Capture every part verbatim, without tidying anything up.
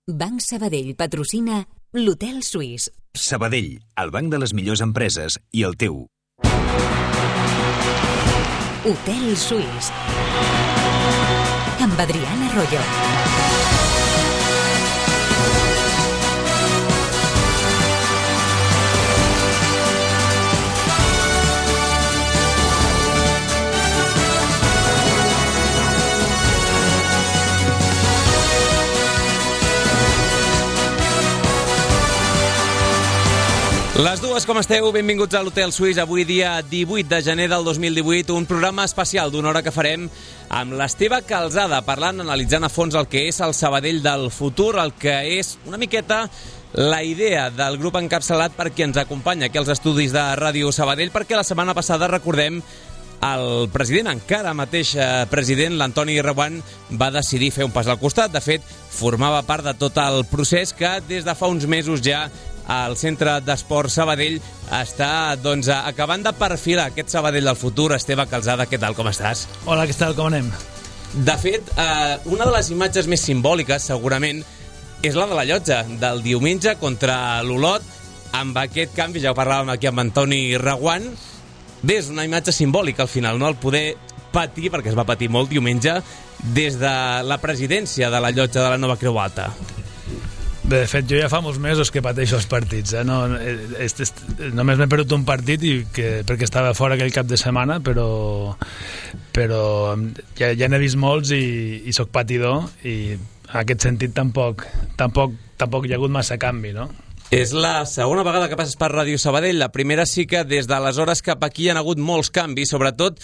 Banc Sabadell patrocina l'Hotel Suís. Sabadell, el banc de les millors empreses i el teu. Hotel Suís. Amb Adriana Arroyo. Les dues, com esteu? Benvinguts a l'Hotel Suís. Avui dia divuit de gener del dos mil divuit, un programa especial d'una hora que farem amb l'Esteve Calzada, parlant, analitzant a fons el que és el Sabadell del futur, el que és una miqueta la idea del grup encapçalat per qui ens acompanya aquí als estudis de Ràdio Sabadell, perquè la setmana passada, recordem, el president, encara mateix president, l'Antoni Reguant, va decidir fer un pas al costat. De fet, formava part de tot el procés que des de fa uns mesos ja el Centre d'Esport Sabadell està doncs, acabant de perfilar aquest Sabadell del futur. Esteve Calzada, què tal, com estàs? Hola, què tal, com anem? De fet, eh, una de les imatges més simbòliques, segurament, és la de la llotja del diumenge contra l'Olot, amb aquest canvi, ja ho parlàvem aquí amb Antoni Reguant. Bé, és una imatge simbòlica al final, no? El poder patir, perquè es va patir molt diumenge, des de la presidència de la llotja de la Nova Creu Alta. Bé, de fet, jo ja fa molts mesos que pateixo els partits, eh? No, est, est, només m'he perdut un partit i que, perquè estava fora aquell cap de setmana, però, però ja, ja n'he vist molts i, i soc patidor, i en aquest sentit tampoc, tampoc, tampoc hi ha hagut massa canvi, no? És la segona vegada que passes per Ràdio Sabadell. La primera sí que des d'aleshores cap aquí hi ha hagut molts canvis, sobretot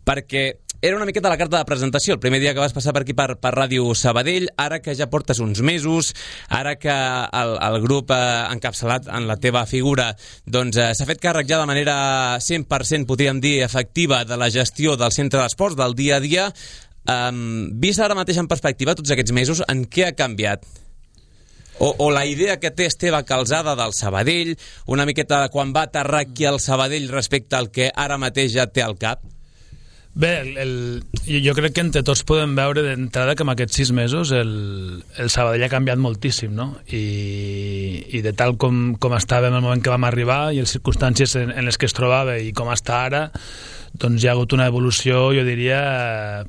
perquè era una miqueta la carta de presentació el primer dia que vas passar per aquí per, per Ràdio Sabadell. Ara que ja portes uns mesos, ara que el, el grup eh, encapçalat en la teva figura doncs eh, s'ha fet càrrec ja de manera cent per cent, podríem dir, efectiva de la gestió del centre d'esports, del dia a dia, eh, vist ara mateix en perspectiva tots aquests mesos, en què ha canviat? O, o la idea que té Esteve Calzada del Sabadell, una miqueta quan va aterrar aquí al Sabadell respecte al que ara mateix ja té al cap? Bé, el, el, jo crec que entre tots podem veure d'entrada que en aquests sis mesos el, el Sabadell ha canviat moltíssim, no? I, i de tal com, com estava en el moment que vam arribar i les circumstàncies en, en les que es trobava i com està ara, doncs hi ha hagut una evolució, jo diria,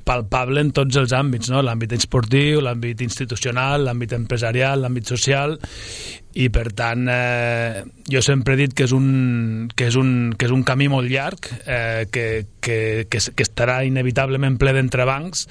palpable en tots els àmbits, no? L'àmbit esportiu, l'àmbit institucional, l'àmbit empresarial, l'àmbit social, i per tant eh, jo sempre he dit que és un, que és un, que és un camí molt llarg, eh, que, que, que, que estarà inevitablement ple d'entrebancs,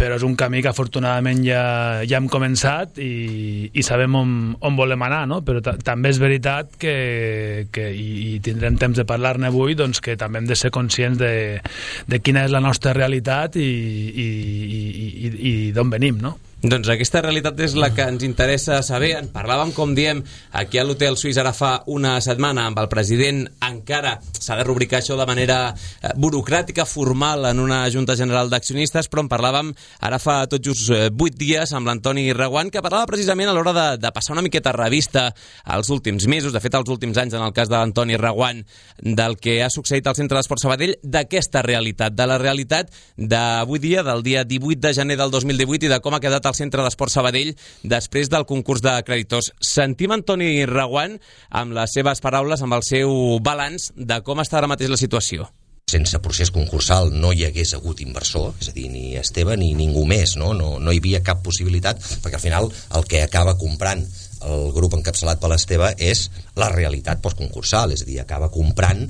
però és un camí que afortunadament ja, ja hem començat i, i sabem on, on volem anar, no? Però també és veritat que, que i, i tindrem temps de parlar-ne avui, doncs que també hem de ser conscients de, de quina és la nostra realitat i, i, i, i, i d'on venim, no? Doncs aquesta realitat és la que ens interessa saber. En parlàvem, com diem, aquí a l'Hotel Suís ara fa una setmana amb el president. Encara s'ha de rubricar això de manera burocràtica, formal, en una Junta General d'Accionistes, però en parlàvem ara fa tot just vuit dies amb l'Antoni Reguant, que parlava precisament a l'hora de, de passar una miqueta revista als últims mesos, de fet als últims anys, en el cas de l'Antoni Reguant, del que ha succeït al Centre d'Esport Sabadell, d'aquesta realitat, de la realitat d'avui dia, del dia divuit de gener del dos mil divuit, i de com ha quedat al Centre d'Esport Sabadell després del concurs de creditors. Sentim Antoni Reguant amb les seves paraules, amb el seu balanç de com està ara mateix la situació. Sense procés concursal no hi hagués hagut inversor, és a dir, ni Esteve ni ningú més, no? No, no hi havia cap possibilitat, perquè al final el que acaba comprant el grup encapçalat per l'Esteve és la realitat postconcursal, és a dir, acaba comprant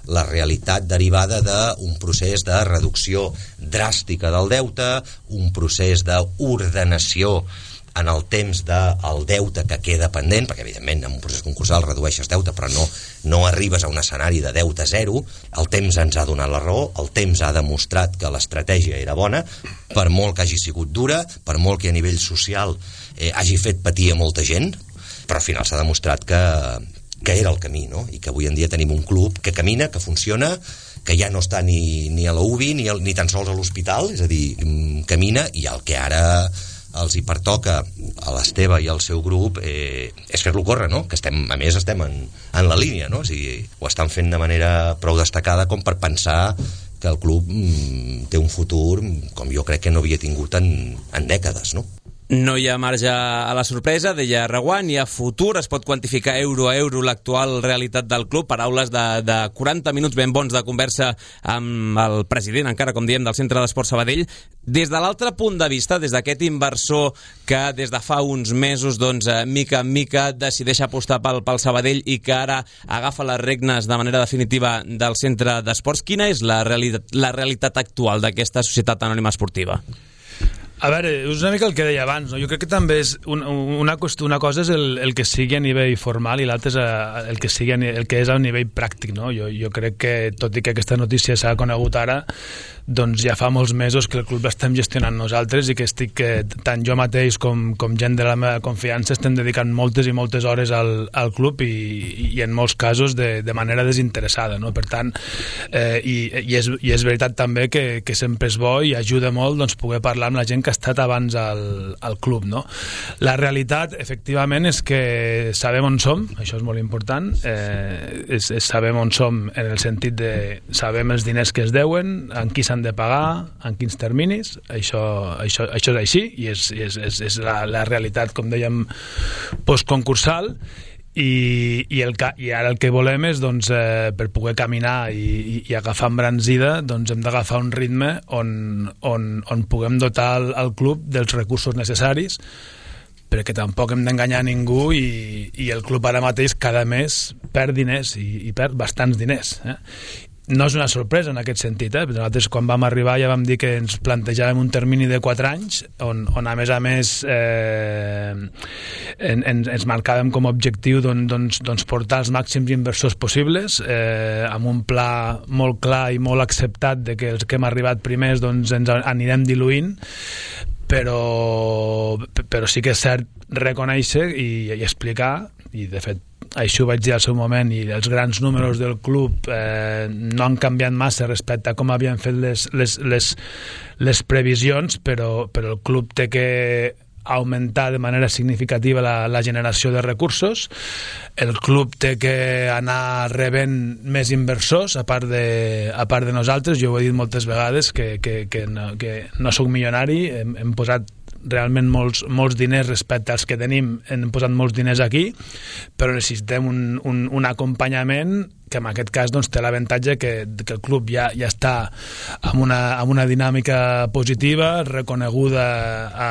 la realitat derivada d'un procés de reducció dràstica del deute, un procés d'ordenació en el temps del deute que queda pendent, perquè evidentment en un procés concursal redueixes deute però no, no arribes a un escenari de deute zero. El temps ens ha donat la raó, el temps ha demostrat que l'estratègia era bona, per molt que hagi sigut dura, per molt que a nivell social eh, hagi fet patir a molta gent, però al final s'ha demostrat que que era el camí, no? I que avui en dia tenim un club que camina, que funciona, que ja no està ni, ni a la U B I ni, el, ni tan sols a l'hospital, és a dir, camina, i el que ara els hi pertoca a l'Esteve i al seu grup eh, és fer-lo córrer, no? Que estem, a més estem en, en la línia, no? O sigui, ho estan fent de manera prou destacada com per pensar que el club mm, té un futur com jo crec que no havia tingut en, en dècades, no? No hi ha marge a la sorpresa, deia Reguant, hi ha futur, es pot quantificar euro a euro l'actual realitat del club, paraules de, de quaranta minuts ben bons de conversa amb el president, encara com diem, del Centre d'Esports Sabadell. Des de l'altre punt de vista, des d'aquest inversor que des de fa uns mesos, doncs, mica en mica decideix apostar pel, pel Sabadell i que ara agafa les regnes de manera definitiva del Centre d'Esports, quina és la realitat, la realitat actual d'aquesta societat anònima esportiva? A veure, és una mica el que deia abans, no? Jo crec que també és un, una, qüestió, una cosa és el, el que sigui a nivell formal i l'altra és a, el, que sigui a, el que és a nivell pràctic, no? Jo, jo crec que, tot i que aquesta notícia s'ha conegut ara, doncs ja fa molts mesos que el club l'estem gestionant nosaltres i que estic, que tant jo mateix com, com gent de la meva confiança estem dedicant moltes i moltes hores al, al club i, i en molts casos de, de manera desinteressada, no? Per tant, eh, i, i, és, i és veritat també que, que sempre és bo i ajuda molt, doncs, poder parlar amb la gent que ha estat abans al, al club, no? La realitat, efectivament, és que sabem on som, això és molt important, eh, és, és sabem on som en el sentit de sabem els diners que es deuen, en qui s'han de pagar, en quins terminis, això, això, això és així i és, és, és, és la, la realitat, com dèiem, postconcursal. I, i, el, i ara el que volem és, doncs, eh, per poder caminar i, i, i agafar embranzida, doncs hem d'agafar un ritme on, on, on puguem dotar el, el club dels recursos necessaris, perquè tampoc hem d'enganyar ningú i, i el club ara mateix cada mes perd diners i, i perd bastants diners, eh? No és una sorpresa en aquest sentit, eh? Nosaltres quan vam arribar ja vam dir que ens plantejàvem un termini de quatre anys on, on a més a més eh, en, en, ens marcàvem com a objectiu doncs, doncs, doncs portar els màxims inversors possibles, eh, amb un pla molt clar i molt acceptat de que els que hem arribat primers doncs, ens anirem diluint, però, però sí que és cert reconèixer i, i explicar, i de fet això ho vaig dir al seu moment, i els grans números del club eh, no han canviat massa respecte a com havien fet les, les, les, les previsions, però, però el club té que augmentar de manera significativa la, la generació de recursos, el club té que anar rebent més inversors a part de, a part de nosaltres. Jo ho he dit moltes vegades que, que, que, no, que no soc milionari, hem, hem posat realment molts, molts diners respecte als que tenim, hem posat molts diners aquí, però necessitem un, un, un acompanyament que en aquest cas doncs, té l'avantatge que, que el club ja, ja està amb una, amb una dinàmica positiva, reconeguda a,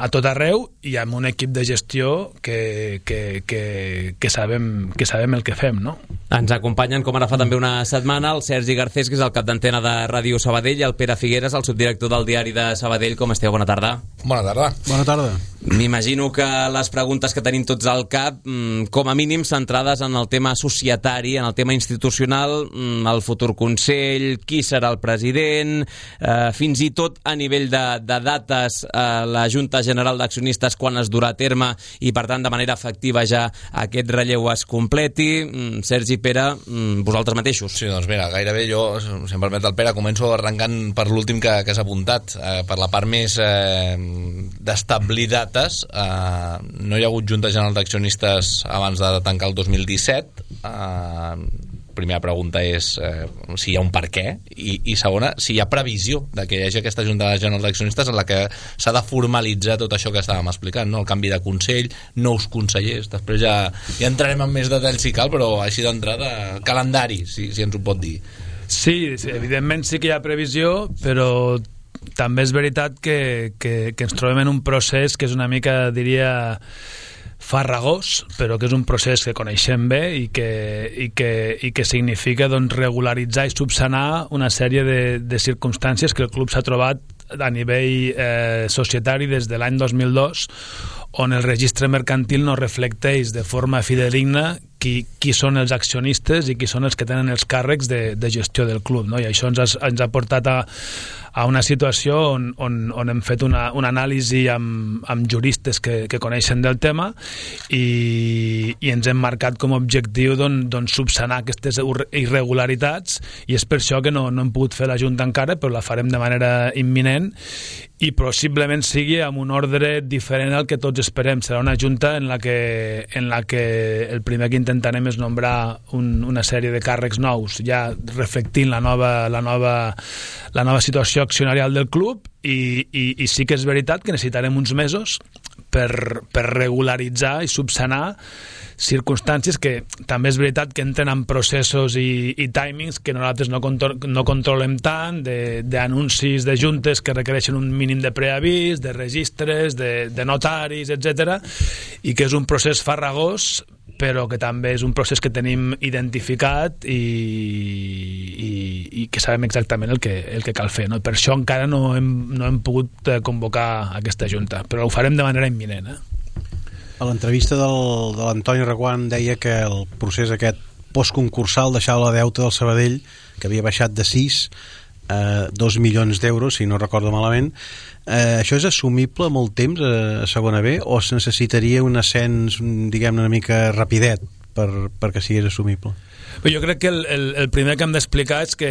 a tot arreu i amb un equip de gestió que, que, que, que, sabem, que sabem el que fem, no? Ens acompanyen, com ara fa també una setmana, el Sergi Garcés, que és el cap d'antena de Ràdio Sabadell, i el Pere Figueres, el subdirector del diari de Sabadell. Com esteu? Bona tarda. Bona tarda. Bona tarda. M'imagino que les preguntes que tenim tots al cap, com a mínim centrades en el tema societari, en el tema institucional, el futur Consell, qui serà el president, eh, fins i tot a nivell de, de dates, eh, la Junta General d'Accionistes quan es durà a terme i per tant de manera efectiva ja aquest relleu es completi. Sergi, Pere, vosaltres mateixos. Sí, doncs mira, gairebé jo, si em permet el Pere, començo arrencant per l'últim que, que s'ha apuntat, eh, per la part més eh, d'establir dates. Eh, no hi ha hagut Junta General d'Accionistes abans de tancar el dos mil disset. Eh, primera pregunta és eh, si hi ha un per què i, i segona, si hi ha previsió de que hi hagi aquesta Junta General d'Accionistes en la que s'ha de formalitzar tot això que estàvem explicant, no? El canvi de consell, nous consellers, després ja, ja entrarem en més detalls si cal, però així d'entrada, calendari, si, si ens ho pot dir. Sí, sí, evidentment sí que hi ha previsió, però també és veritat que, que, que ens trobem en un procés que és una mica, diria, farragós, però que és un procés que coneixem bé i que, i que, i que significa doncs, regularitzar i subsanar una sèrie de, de circumstàncies que el club s'ha trobat a nivell eh, societari des de l'any dos mil dos, on el registre mercantil no reflecteix de forma fidedigna qui, qui són els accionistes i qui són els que tenen els càrrecs de, de gestió del club, no? I això ens ha, ens ha portat a, a una situació on, on, on hem fet una, una anàlisi amb, amb juristes que, que coneixen del tema i, i ens hem marcat com a objectiu doncs, doncs subsanar aquestes irregularitats, i és per això que no, no hem pogut fer la Junta encara, però la farem de manera imminent i possiblement sigui amb un ordre diferent al que tots esperem. Serà una Junta en la que, en la que el primer que intentarem és nombrar un, una sèrie de càrrecs nous, ja reflectint la nova, la nova, la nova situació accionarial del club i, i, i sí que és veritat que necessitarem uns mesos per, per regularitzar i subsanar circumstàncies que també és veritat que entren en processos i, i timings que nosaltres no, contro no controlem tant, d'anuncis de, de juntes que requereixen un mínim de preavís, de registres, de, de notaris, etcètera, i que és un procés farragós, però que també és un procés que tenim identificat i, i, i que sabem exactament el que, el que cal fer, no? Per això encara no hem, no hem pogut convocar aquesta junta, però ho farem de manera imminent, eh? A l'entrevista del, de l'Antoni Reguant deia que el procés aquest postconcursal deixava la deuta del Sabadell, que havia baixat de sis a dos milions d'euros, si no recordo malament. Eh, això és assumible molt temps a, a segona B o es necessitaria un ascens, diguem-ne, una mica rapidet per, perquè sigués assumible? Però jo crec que el, el, el primer que hem d'explicar és que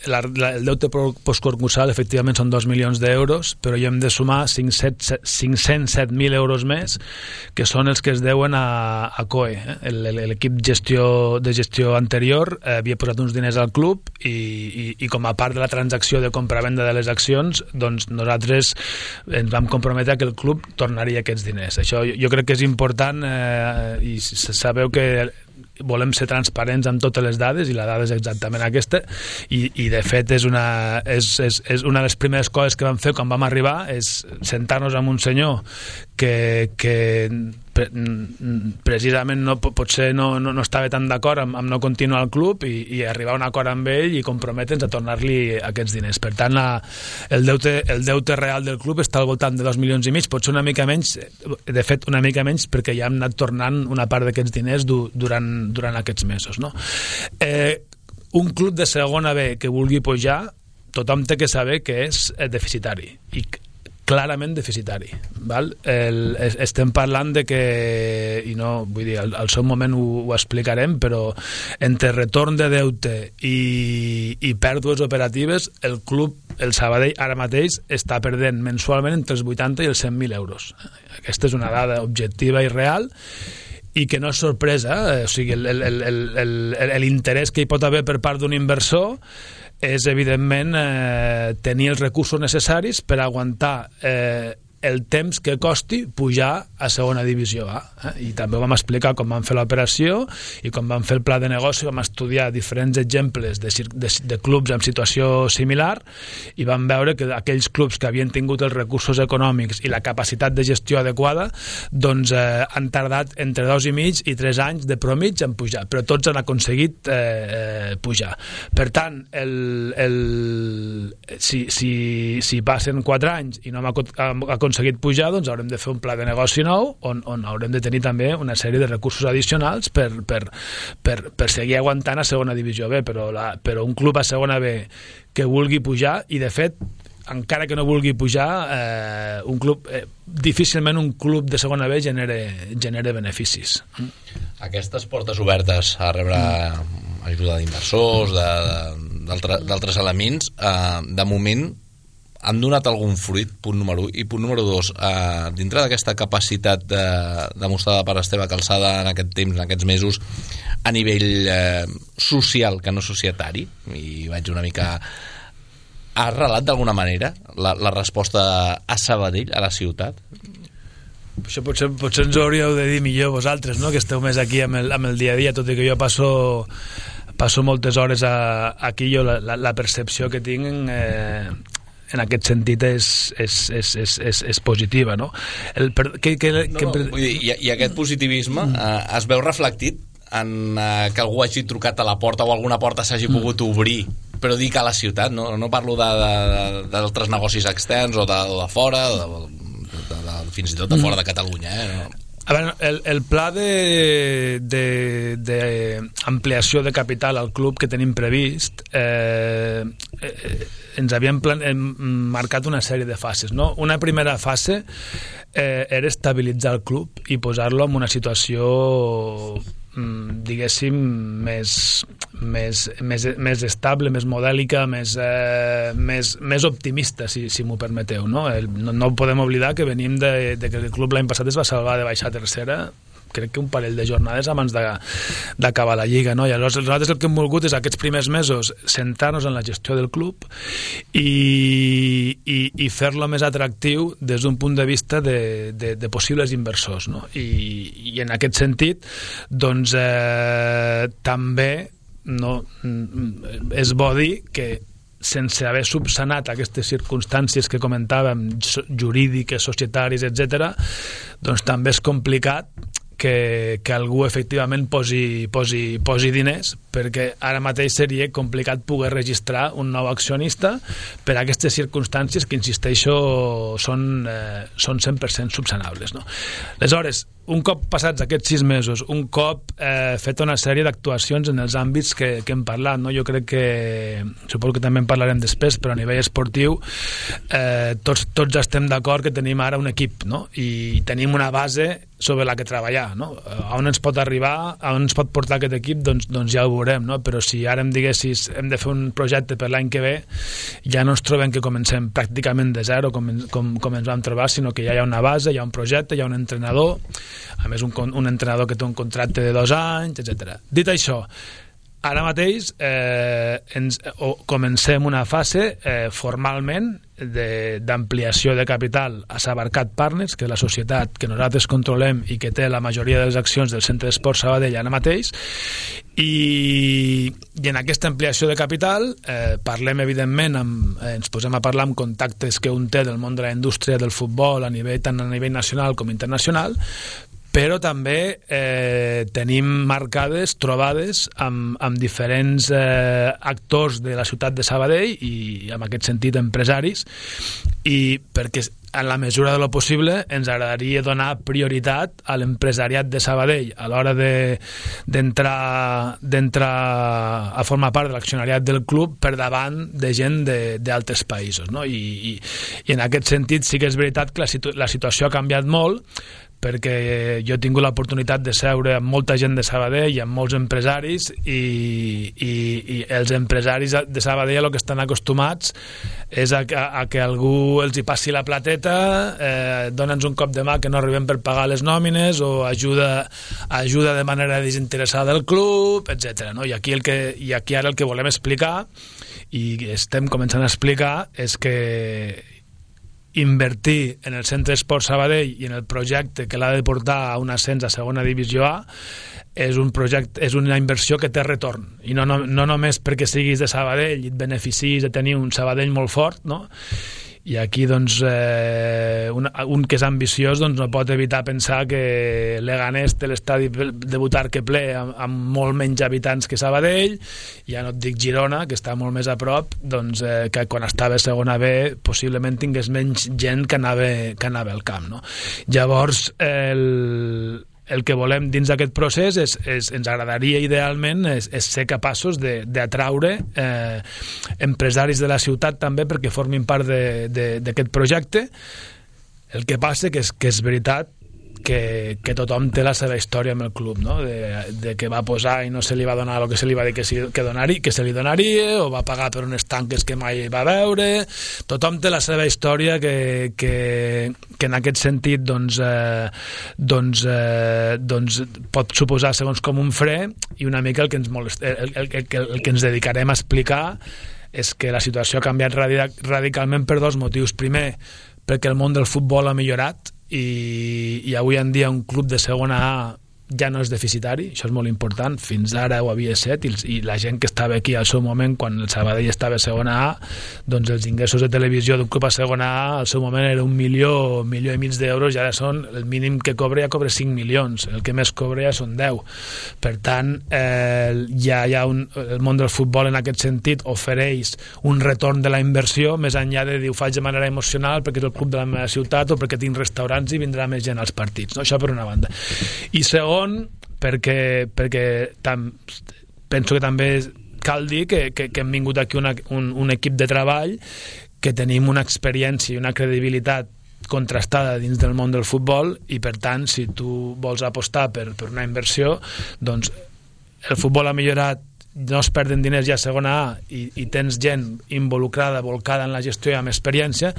la, la, el deute postconcursal efectivament són dos milions d'euros, però hi hem de sumar cinc-cents set mil euros més, que són els que es deuen a, a C O E. Eh? L'equip gestió, de gestió anterior eh, havia posat uns diners al club i, i, i com a part de la transacció de compra-venda de les accions, doncs nosaltres ens vam comprometre que el club tornaria aquests diners. Això jo, jo crec que és important eh, i sabeu que volem ser transparents amb totes les dades i la dada és exactament aquesta i, i de fet és una, és, és, és una de les primeres coses que vam fer quan vam arribar és sentar-nos amb un senyor que, que pre, precisament no, potser no, no, no estava tan d'acord amb, amb no continuar al club i, i arribar a un acord amb ell i comprometre'ns a tornar-li aquests diners. Per tant, la, el, deute, el deute real del club està al voltant de dos milions i mig, pot ser una mica menys, de fet una mica menys perquè ja hem anat tornant una part d'aquests diners du, durant, durant aquests mesos, no? Eh, un club de segona B que vulgui pujar, tothom té que saber que és deficitari i clarament deficitari, val? El, estem parlant de que, i no, vull dir, al, al seu moment ho, ho explicarem, però entre retorn de deute i, i pèrdues operatives, el club, el Sabadell, ara mateix està perdent mensualment entre els vuitanta i els cent mil euros. Aquesta és una dada objectiva i real i que no és sorpresa, eh? O sigui, l'interès que hi pot haver per part d'un inversor és, evidentment, eh, tenir els recursos necessaris per aguantar eh, el temps que costi pujar a segona divisió A. Eh? I també ho vam explicar com vam fer l'operació i com vam fer el pla de negoci, vam estudiar diferents exemples de, de, de clubs en situació similar i vam veure que aquells clubs que havien tingut els recursos econòmics i la capacitat de gestió adequada doncs eh, han tardat entre dos i mig i tres anys de promig en pujar, però tots han aconseguit eh, pujar. Per tant, el, el, si, si, si passen quatre anys i no hem aconseguit aconseguit pujar, doncs haurem de fer un pla de negoci nou on, on haurem de tenir també una sèrie de recursos addicionals per, per, per, per seguir aguantant a segona divisió B, però, la, però un club a segona B que vulgui pujar, i de fet encara que no vulgui pujar eh, un club, eh, difícilment un club de segona B genere, genere beneficis. Aquestes portes obertes a rebre ajuda d'inversors, d'altres elements, eh, de moment han donat algun fruit, punt número un, i punt número dos, eh, dintre d'aquesta capacitat de, demostrada per Esteve Calçada en aquest temps, en aquests mesos, a nivell eh, social que no societari, i vaig una mica... Ha arrelat d'alguna manera la, la resposta a Sabadell, a la ciutat? Això potser, potser ens ho hauríeu de dir millor vosaltres, no?, que esteu més aquí amb el, amb el dia a dia, tot i que jo passo... passo moltes hores a, aquí, jo la, la, la percepció que tinc eh, en aquest sentit és, és, és, és, és, és positiva, no? El, per, que, que, no, que... no, vull dir, i, i aquest positivisme eh, es veu reflectit en eh, que algú hagi trucat a la porta o alguna porta s'hagi pogut obrir, però dic a la ciutat, no, no parlo d'altres negocis externs o de, de fora, de, de, de, fins i tot de fora de Catalunya, eh? No? A veure, el, el pla de, de, de ampliació de capital al club que tenim previst eh, eh, ens havíem plan, eh, marcat una sèrie de fases, no? Una primera fase eh, era estabilitzar el club i posar-lo en una situació diguéssim més, més, més, més estable, més modèlica, més, eh, més, més optimista, si, si m'ho permeteu, no? El, no? No podem oblidar que venim de, de que el club l'any passat es va salvar de baixar a tercera crec que un parell de jornades abans d'acabar la Lliga, no? I aleshores nosaltres el que hem volgut és aquests primers mesos centrar-nos en la gestió del club i, i, i fer-lo més atractiu des d'un punt de vista de, de, de possibles inversors, no? I, i en aquest sentit doncs eh, també no, és bo dir que sense haver subsanat aquestes circumstàncies que comentàvem, jurídiques, societàries, etcètera, doncs també és complicat que, que algú efectivament posi, posi, posi diners, perquè ara mateix seria complicat poder registrar un nou accionista per a aquestes circumstàncies que, insisteixo, són, eh, són cent per cent subsanables, no? Aleshores, un cop passats aquests sis mesos, un cop eh, fet una sèrie d'actuacions en els àmbits que, que hem parlat, no? Jo crec que, suposo que també en parlarem després, però a nivell esportiu eh, tots, tots estem d'acord que tenim ara un equip, no? I tenim una base sobre la que treballar, no? A on ens pot arribar, a on ens pot portar aquest equip, doncs, doncs ja ho veurem, no? Però si ara em diguessis hem de fer un projecte per l'any que ve, ja no ens trobem que comencem pràcticament de zero com, com, com ens vam trobar, sinó que ja hi ha una base, hi ha un projecte, hi ha un entrenador, a més un, un entrenador que té un contracte de dos anys, etcètera. Dit això, ara mateix eh, ens, o, comencem una fase eh, formalment d'ampliació de, de capital a Sabarcat Partners, que és la societat que nosaltres controlem i que té la majoria de les accions del Centre d'Esport Sabadell ara mateix, i, i en aquesta ampliació de capital eh, parlem evidentment amb, eh, ens posem a parlar amb contactes que un té del món de la indústria del futbol a nivell, tant a nivell nacional com internacional, però també eh, tenim marcades trobades amb, amb diferents eh, actors de la ciutat de Sabadell i en aquest sentit empresaris, i perquè en la mesura de lo possible ens agradaria donar prioritat a l'empresariat de Sabadell a l'hora d'entrar de, d'entrar a formar part de l'accionariat del club per davant de gent d'altres països, no? I, i, i en aquest sentit sí que és veritat que la, situ la situació ha canviat molt, perquè jo he tingut l'oportunitat de seure amb molta gent de Sabadell i amb molts empresaris, i, i, i els empresaris de Sabadell el que estan acostumats és a, a, a que algú els hi passi la plateta, eh, dona'ns un cop de mà que no arribem per pagar les nòmines, o ajuda, ajuda de manera desinteressada al club, etcètera, no? I aquí, el que, i aquí ara el que volem explicar, i estem començant a explicar, és que invertir en el Centre Esport Sabadell i en el projecte que l'ha de portar a un ascens a segona divisió A és un projecte, és una inversió que té retorn, i no, no, no només perquè siguis de Sabadell i et beneficis de tenir un Sabadell molt fort, no? I aquí doncs eh, un, un que és ambiciós doncs no pot evitar pensar que Leganés té l'estadi de Butarque ple amb, amb molt menys habitants que Sabadell, ja no et dic Girona, que està molt més a prop, doncs eh, que quan estava a segona B possiblement tingués menys gent que anava, que anava al camp, no? Llavors el el que volem dins d'aquest procés és, és, ens agradaria idealment és, és ser capaços d'atraure eh, empresaris de la ciutat també perquè formin part d'aquest projecte. El que passa que és, que és veritat que, que tothom té la seva història amb el club, no? de, de que va posar i no se li va donar el que se li va dir que, si, que, donari, que se li donaria, o va pagar per unes tanques que mai va veure. Tothom té la seva història que, que, que en aquest sentit doncs, eh, doncs, eh, doncs pot suposar segons com un fre, i una mica el que ens, molest, el, el, el, el, el que ens dedicarem a explicar és que la situació ha canviat radicalment per dos motius. Primer, perquè el món del futbol ha millorat, i, i avui en dia un club de segona A ja no és deficitari, això és molt important. Fins ara ho havia estat, i, i la gent que estava aquí al seu moment, quan el Sabadell estava a segona A, doncs els ingressos de televisió d'un club a segona A al seu moment era un milió, un milió i mig d'euros, i ara són, el mínim que cobra ja cobra cinc milions, el que més cobra ja són deu. Per tant, eh, ja hi ha un, el món del futbol en aquest sentit ofereix un retorn de la inversió, més enllà de dir ho faig de manera emocional perquè és el club de la meva ciutat o perquè tinc restaurants i vindrà més gent als partits, no? Això per una banda. I segon, perquè, perquè tam, penso que també cal dir que, que, que hem vingut aquí una, un, un equip de treball que tenim una experiència i una credibilitat contrastada dins del món del futbol, i per tant si tu vols apostar per, per una inversió, doncs el futbol ha millorat, no es perden diners ja a segona A, i, i tens gent involucrada, volcada en la gestió i amb experiència,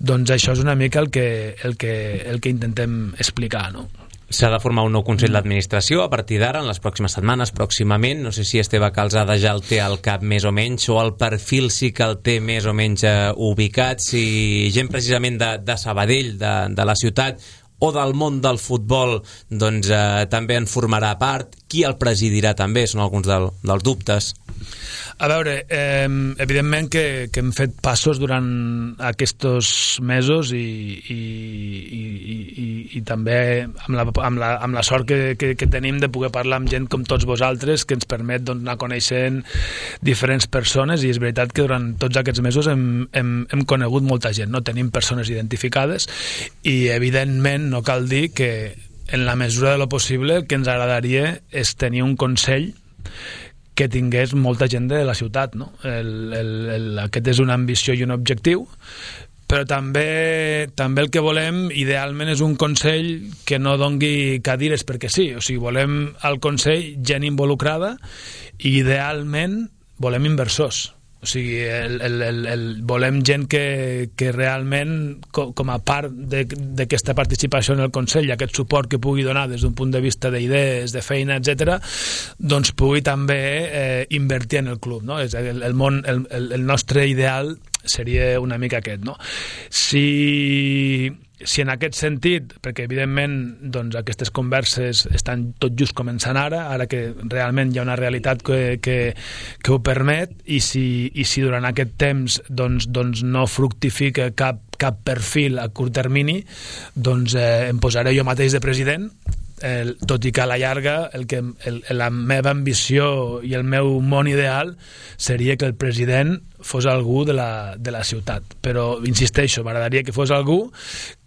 doncs això és una mica el que, el que, el que intentem explicar, no? S'ha de formar un nou Consell d'Administració a partir d'ara, en les pròximes setmanes, pròximament. No sé si Esteve Calzada ja el té al cap més o menys, o el perfil sí que el té més o menys eh, ubicat, si gent precisament de, de Sabadell, de, de la ciutat, o del món del futbol, doncs eh, també en formarà part. Qui el presidirà també? Són alguns del, dels dubtes. A veure, eh, evidentment que, que hem fet passos durant aquests mesos i, i, i, i, i també amb la, amb la, amb la sort que, que, que tenim de poder parlar amb gent com tots vosaltres, que ens permet doncs, anar coneixent diferents persones, i és veritat que durant tots aquests mesos hem, hem, hem conegut molta gent, no tenim persones identificades, i evidentment no cal dir que en la mesura de lo possible el que ens agradaria és tenir un Consell que tingués molta gent de la ciutat, no? El, el, el, aquest és una ambició i un objectiu, però també també el que volem idealment és un Consell que no dongui cadires perquè sí, o sigui, volem al Consell gent involucrada, i idealment volem inversors. O sigui, el, el, el, el, volem gent que, que realment, com, com a part d'aquesta participació en el Consell i aquest suport que pugui donar des d'un punt de vista d'idees, de feina, etcètera, doncs pugui també eh, invertir en el club, no? És el, el, món, el, el nostre ideal seria una mica aquest, no? Si, si en aquest sentit, perquè evidentment doncs, aquestes converses estan tot just començant ara, ara que realment hi ha una realitat que, que, que ho permet, i si, i si durant aquest temps doncs, doncs no fructifica cap, cap perfil a curt termini, doncs eh, em posaré jo mateix de president. El, tot i que a la llarga el que, el, la meva ambició i el meu món ideal seria que el president fos algú de la, de la ciutat, però insisteixo, m'agradaria que fos algú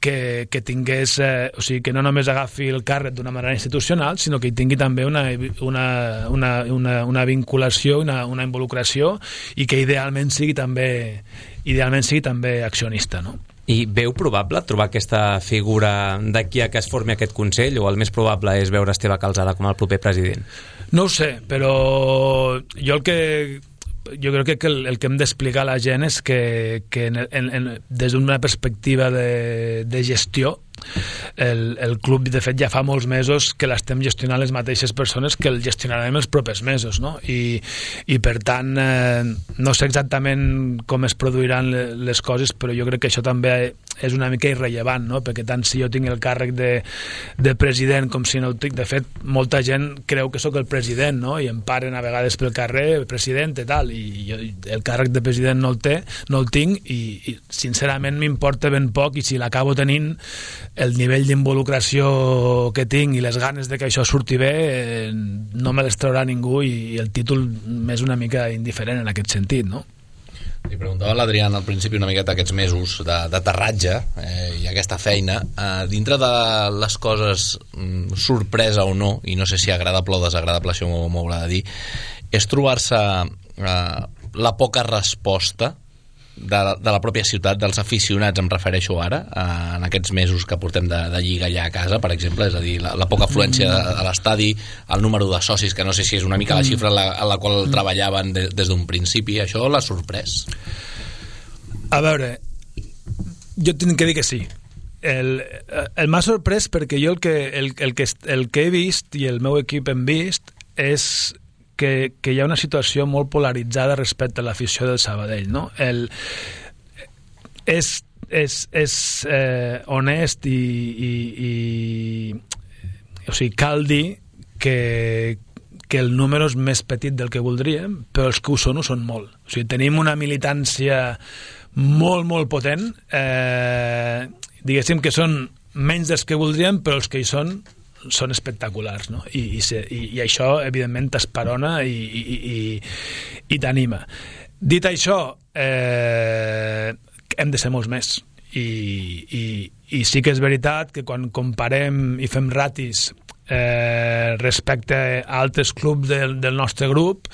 que, que tingués, eh, o sigui, que no només agafi el càrrec d'una manera institucional, sinó que hi tingui també una, una, una, una, una vinculació, una, una involucració, i que idealment sigui també idealment sigui també accionista, no? I veu probable trobar aquesta figura d'aquí a que es formi aquest Consell, o el més probable és veure Esteve Calzada com el proper president? No ho sé, però jo el que jo crec que el, el que hem d'explicar a la gent és que, que en, en, en, des d'una perspectiva de, de gestió, el, el club de fet ja fa molts mesos que l'estem gestionant les mateixes persones que el gestionarem els propers mesos, no? I, i per tant eh, no sé exactament com es produiran les coses, però jo crec que això també és una mica irrellevant, no? Perquè tant si jo tinc el càrrec de, de president com si no el tinc, de fet molta gent creu que sóc el president, no? I em paren a vegades pel carrer, president i tal, i jo el càrrec de president no el té, no el tinc, i, i sincerament m'importa ben poc, i si l'acabo tenint, el nivell d'involucració que tinc i les ganes de que això surti bé eh, no me les traurà ningú, i el títol m'és una mica indiferent en aquest sentit, no? Li preguntava a l'Adrián al principi una miqueta aquests mesos d'aterratge eh, i aquesta feina, eh, dintre de les coses mm, sorpresa o no, i no sé si agradable o desagradable, això m'ho haurà de dir, és trobar-se eh, la poca resposta de, de la pròpia ciutat, dels aficionats, em refereixo ara, eh, en aquests mesos que portem de, de lliga allà a casa, per exemple, és a dir, la, la poca afluència a, a l'estadi, el número de socis, que no sé si és una mica la xifra en la, en la qual treballaven de, des d'un principi, això l'ha sorprès? A veure, jo tinc que dir que sí. El, el m'ha sorprès perquè jo el que, el, el, que, el que he vist i el meu equip hem vist és que, que hi ha una situació molt polaritzada respecte a l'afició del Sabadell, no? El, és és, és eh, honest i, i, i o sigui, cal dir que, que el número és més petit del que voldríem, però els que ho són ho són molt. O sigui, tenim una militància molt, molt potent, eh, diguéssim que són menys dels que voldríem, però els que hi són són espectaculars, no? I, i, i, i això evidentment t'esperona i, i, i, i t'anima. Dit això, eh, hem de ser molts més, i, i, i sí que és veritat que quan comparem i fem ratis eh, respecte a altres clubs del, del nostre grup,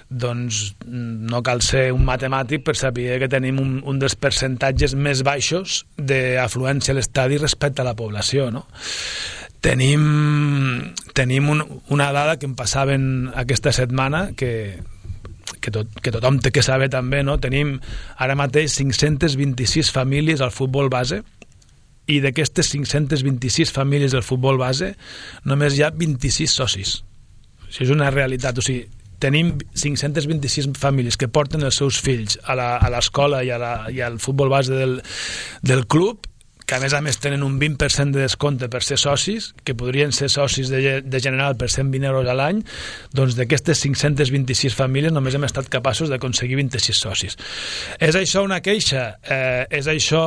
doncs no cal ser un matemàtic per saber que tenim un, un dels percentatges més baixos d'afluència a l'estadi respecte a la població, no? Tenim, tenim un, una dada que em passaven aquesta setmana que, que, tot, que tothom té que saber també, no? Tenim ara mateix cinc-centes vint-i-sis famílies al futbol base i d'aquestes cinc-centes vint-i-sis famílies del futbol base només hi ha vint-i-sis socis. Això és una realitat. O sigui, tenim cinc-centes vint-i-sis famílies que porten els seus fills a l'escola i, a la, i al futbol base del, del club, que a més a més tenen un vint per cent de descompte per ser socis, que podrien ser socis de, de General per cent vint euros a l'any. Doncs d'aquestes cinc-centes vint-i-sis famílies només hem estat capaços d'aconseguir vint-i-sis socis. És això una queixa? Eh, és això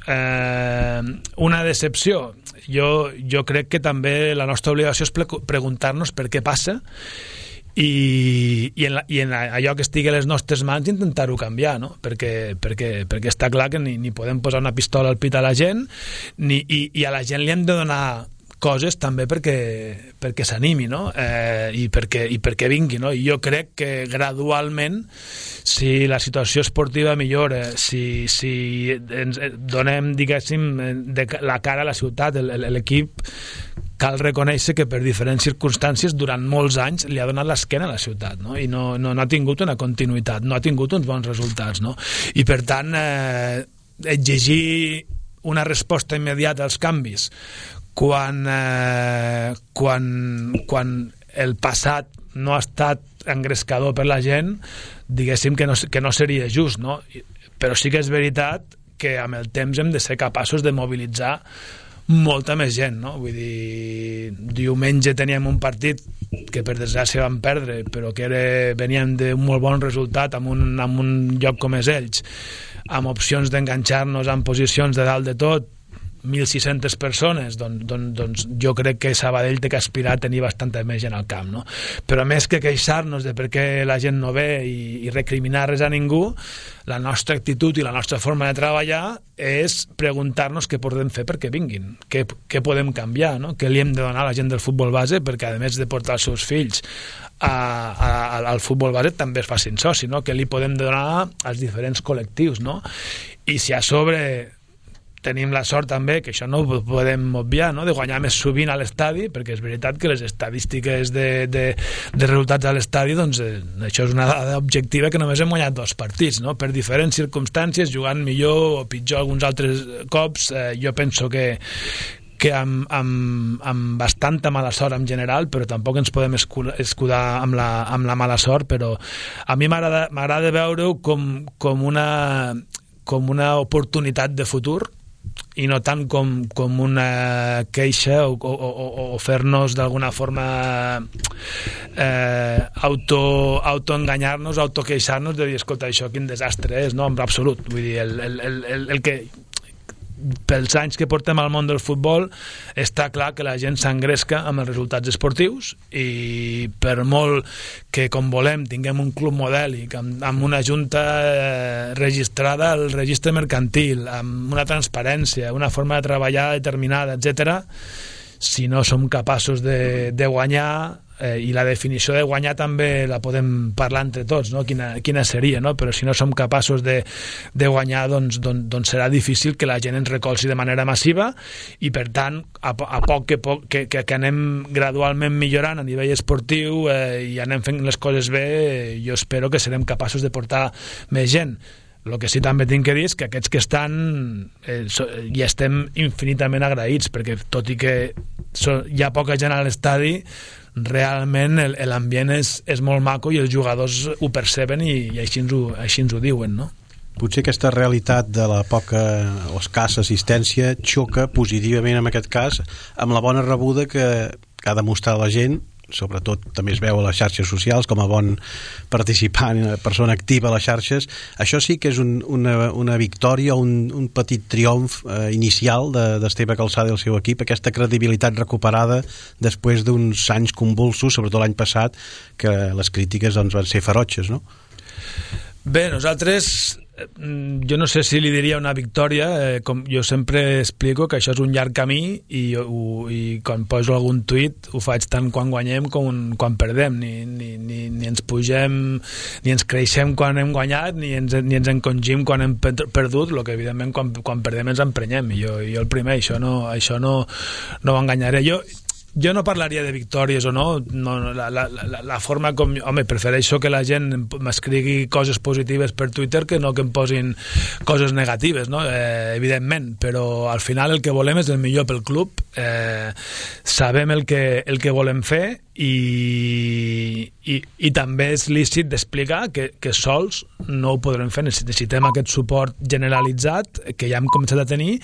eh, una decepció? Jo, jo crec que també la nostra obligació és preguntar-nos per què passa i, i, en la, i en allò que estigui a les nostres mans intentar-ho canviar, no? perquè, perquè, perquè està clar que ni, ni podem posar una pistola al pit a la gent ni, i, i a la gent li hem de donar coses també perquè, perquè s'animi, no? eh, i, perquè, i perquè vingui, no? I jo crec que gradualment, si la situació esportiva millora, si, si ens donem, diguéssim, de la cara a la ciutat, l'equip cal reconèixer que per diferents circumstàncies durant molts anys li ha donat l'esquena a la ciutat, no? I no, no, no ha tingut una continuïtat, no ha tingut uns bons resultats, no? I per tant eh, exigir una resposta immediata als canvis quan, eh, quan, quan el passat no ha estat engrescador per la gent, diguéssim que no, que no seria just, no? Però sí que és veritat que amb el temps hem de ser capaços de mobilitzar molta més gent, no? Vull dir, diumenge teníem un partit que per desgràcia vam perdre, però que era, veníem d'un molt bon resultat amb un, amb un lloc com és Elx, amb opcions d'enganxar-nos en posicions de dalt de tot, mil sis-centes persones, doncs, doncs, doncs jo crec que Sabadell té que aspirar a tenir bastanta més gent al camp, no? Però més que queixar-nos de per què la gent no ve i, i recriminar res a ningú, la nostra actitud i la nostra forma de treballar és preguntar-nos què podem fer perquè vinguin, què, què podem canviar, no? Què li hem de donar a la gent del futbol base perquè a més de portar els seus fills a, a, al futbol base també es facin soci, no? Què li podem donar als diferents col·lectius, no? I si a sobre tenim la sort també, que això no ho podem obviar, no? De guanyar més sovint a l'estadi, perquè és veritat que les estadístiques de, de, de resultats a l'estadi, doncs eh, això és una dada objectiva que només hem guanyat dos partits, no? Per diferents circumstàncies, jugant millor o pitjor alguns altres cops, eh, jo penso que que amb, amb, amb bastanta mala sort en general, però tampoc ens podem escudar amb la, amb la mala sort, però a mi m'agrada m'agrada veure-ho com, com una com una oportunitat de futur i no tant com, com una queixa o, o, o, o fer-nos d'alguna forma eh, auto, autoenganyar-nos, autoqueixar-nos de dir, escolta, això quin desastre és, no, en absolut. Vull dir, el, el, el, el que pels anys que portem al món del futbol està clar que la gent s'engresca amb els resultats esportius i per molt que com volem tinguem un club modèlic amb, amb una junta eh, registrada al registre mercantil, amb una transparència, una forma de treballar determinada, etcètera, si no som capaços de, de guanyar, eh, i la definició de guanyar també la podem parlar entre tots, no? quina, quina seria, no? Però si no som capaços de, de guanyar, doncs, doncs, doncs serà difícil que la gent ens recolzi de manera massiva i per tant a, a poc, que, poc que, que, que anem gradualment millorant a nivell esportiu eh, i anem fent les coses bé, eh, jo espero que serem capaços de portar més gent. El que sí també tinc que dir és que aquests que estan eh, so, hi estem infinitament agraïts, perquè tot i que so, hi ha poca gent a l'estadi, realment l'ambient és, és molt maco i els jugadors ho perceben i, i així, ens ho, així ens ho diuen, no? Potser aquesta realitat de la poca o escassa assistència xoca positivament en aquest cas amb la bona rebuda que, que ha demostrat la gent, sobretot també es veu a les xarxes socials com a bon participant, persona activa a les xarxes. Això sí que és un, una, una victòria, un, un petit triomf eh, inicial d'Esteve Calçada i el seu equip, aquesta credibilitat recuperada després d'uns anys convulsos, sobretot l'any passat, que les crítiques doncs, van ser ferotges, no? Bé, nosaltres jo no sé si li diria una victòria, eh, com jo sempre explico que això és un llarg camí i, ho, i quan poso algun tuit ho faig tant quan guanyem com quan perdem, ni, ni, ni, ni ens pugem ni ens creixem quan hem guanyat ni ens, ni ens encongim quan hem perdut, el que evidentment quan, quan perdem ens emprenyem i jo, jo el primer, això no, això no, no ho enganyaré. Jo jo no parlaria de victòries o no, no la, la, la, la forma com... Home, prefereixo que la gent m'escrigui coses positives per Twitter que no que em posin coses negatives, no? Eh, evidentment, però al final el que volem és el millor pel club, eh, sabem el que, el que volem fer i, i, i també és lícit d'explicar que, que sols no ho podrem fer, necessitem aquest suport generalitzat que ja hem començat a tenir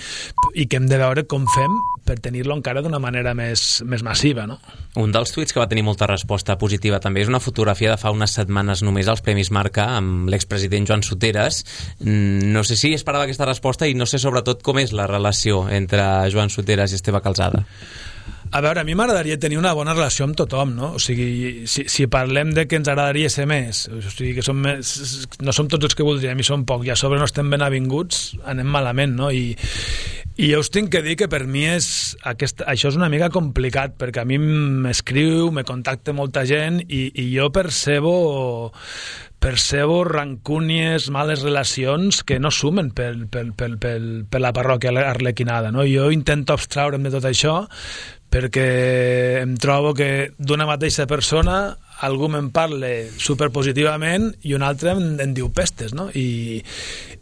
i que hem de veure com fem per tenir-lo encara d'una manera més, més massiva, no? Un dels tuits que va tenir molta resposta positiva també és una fotografia de fa unes setmanes només als Premis Marca amb l'expresident Joan Soteras. No sé si esperava aquesta resposta i no sé sobretot com és la relació entre Joan Soteras i Esteve Calzada. A veure, a mi m'agradaria tenir una bona relació amb tothom, no? O sigui, si, si parlem de que ens agradaria ser més, o sigui, que som més, no som tots els que voldríem i som poc, i a sobre no estem ben avinguts, anem malament, no? I, i jo us tinc que dir que per mi és aquest, això és una mica complicat, perquè a mi m'escriu, me contacta molta gent i, i jo percebo percebo rancúnies, males relacions que no sumen per, per, per, per, per la parròquia arlequinada, no? Jo intento abstraure'm de tot això perquè em trobo que d'una mateixa persona algú me'n parla superpositivament i un altre em, em diu pestes, no? I,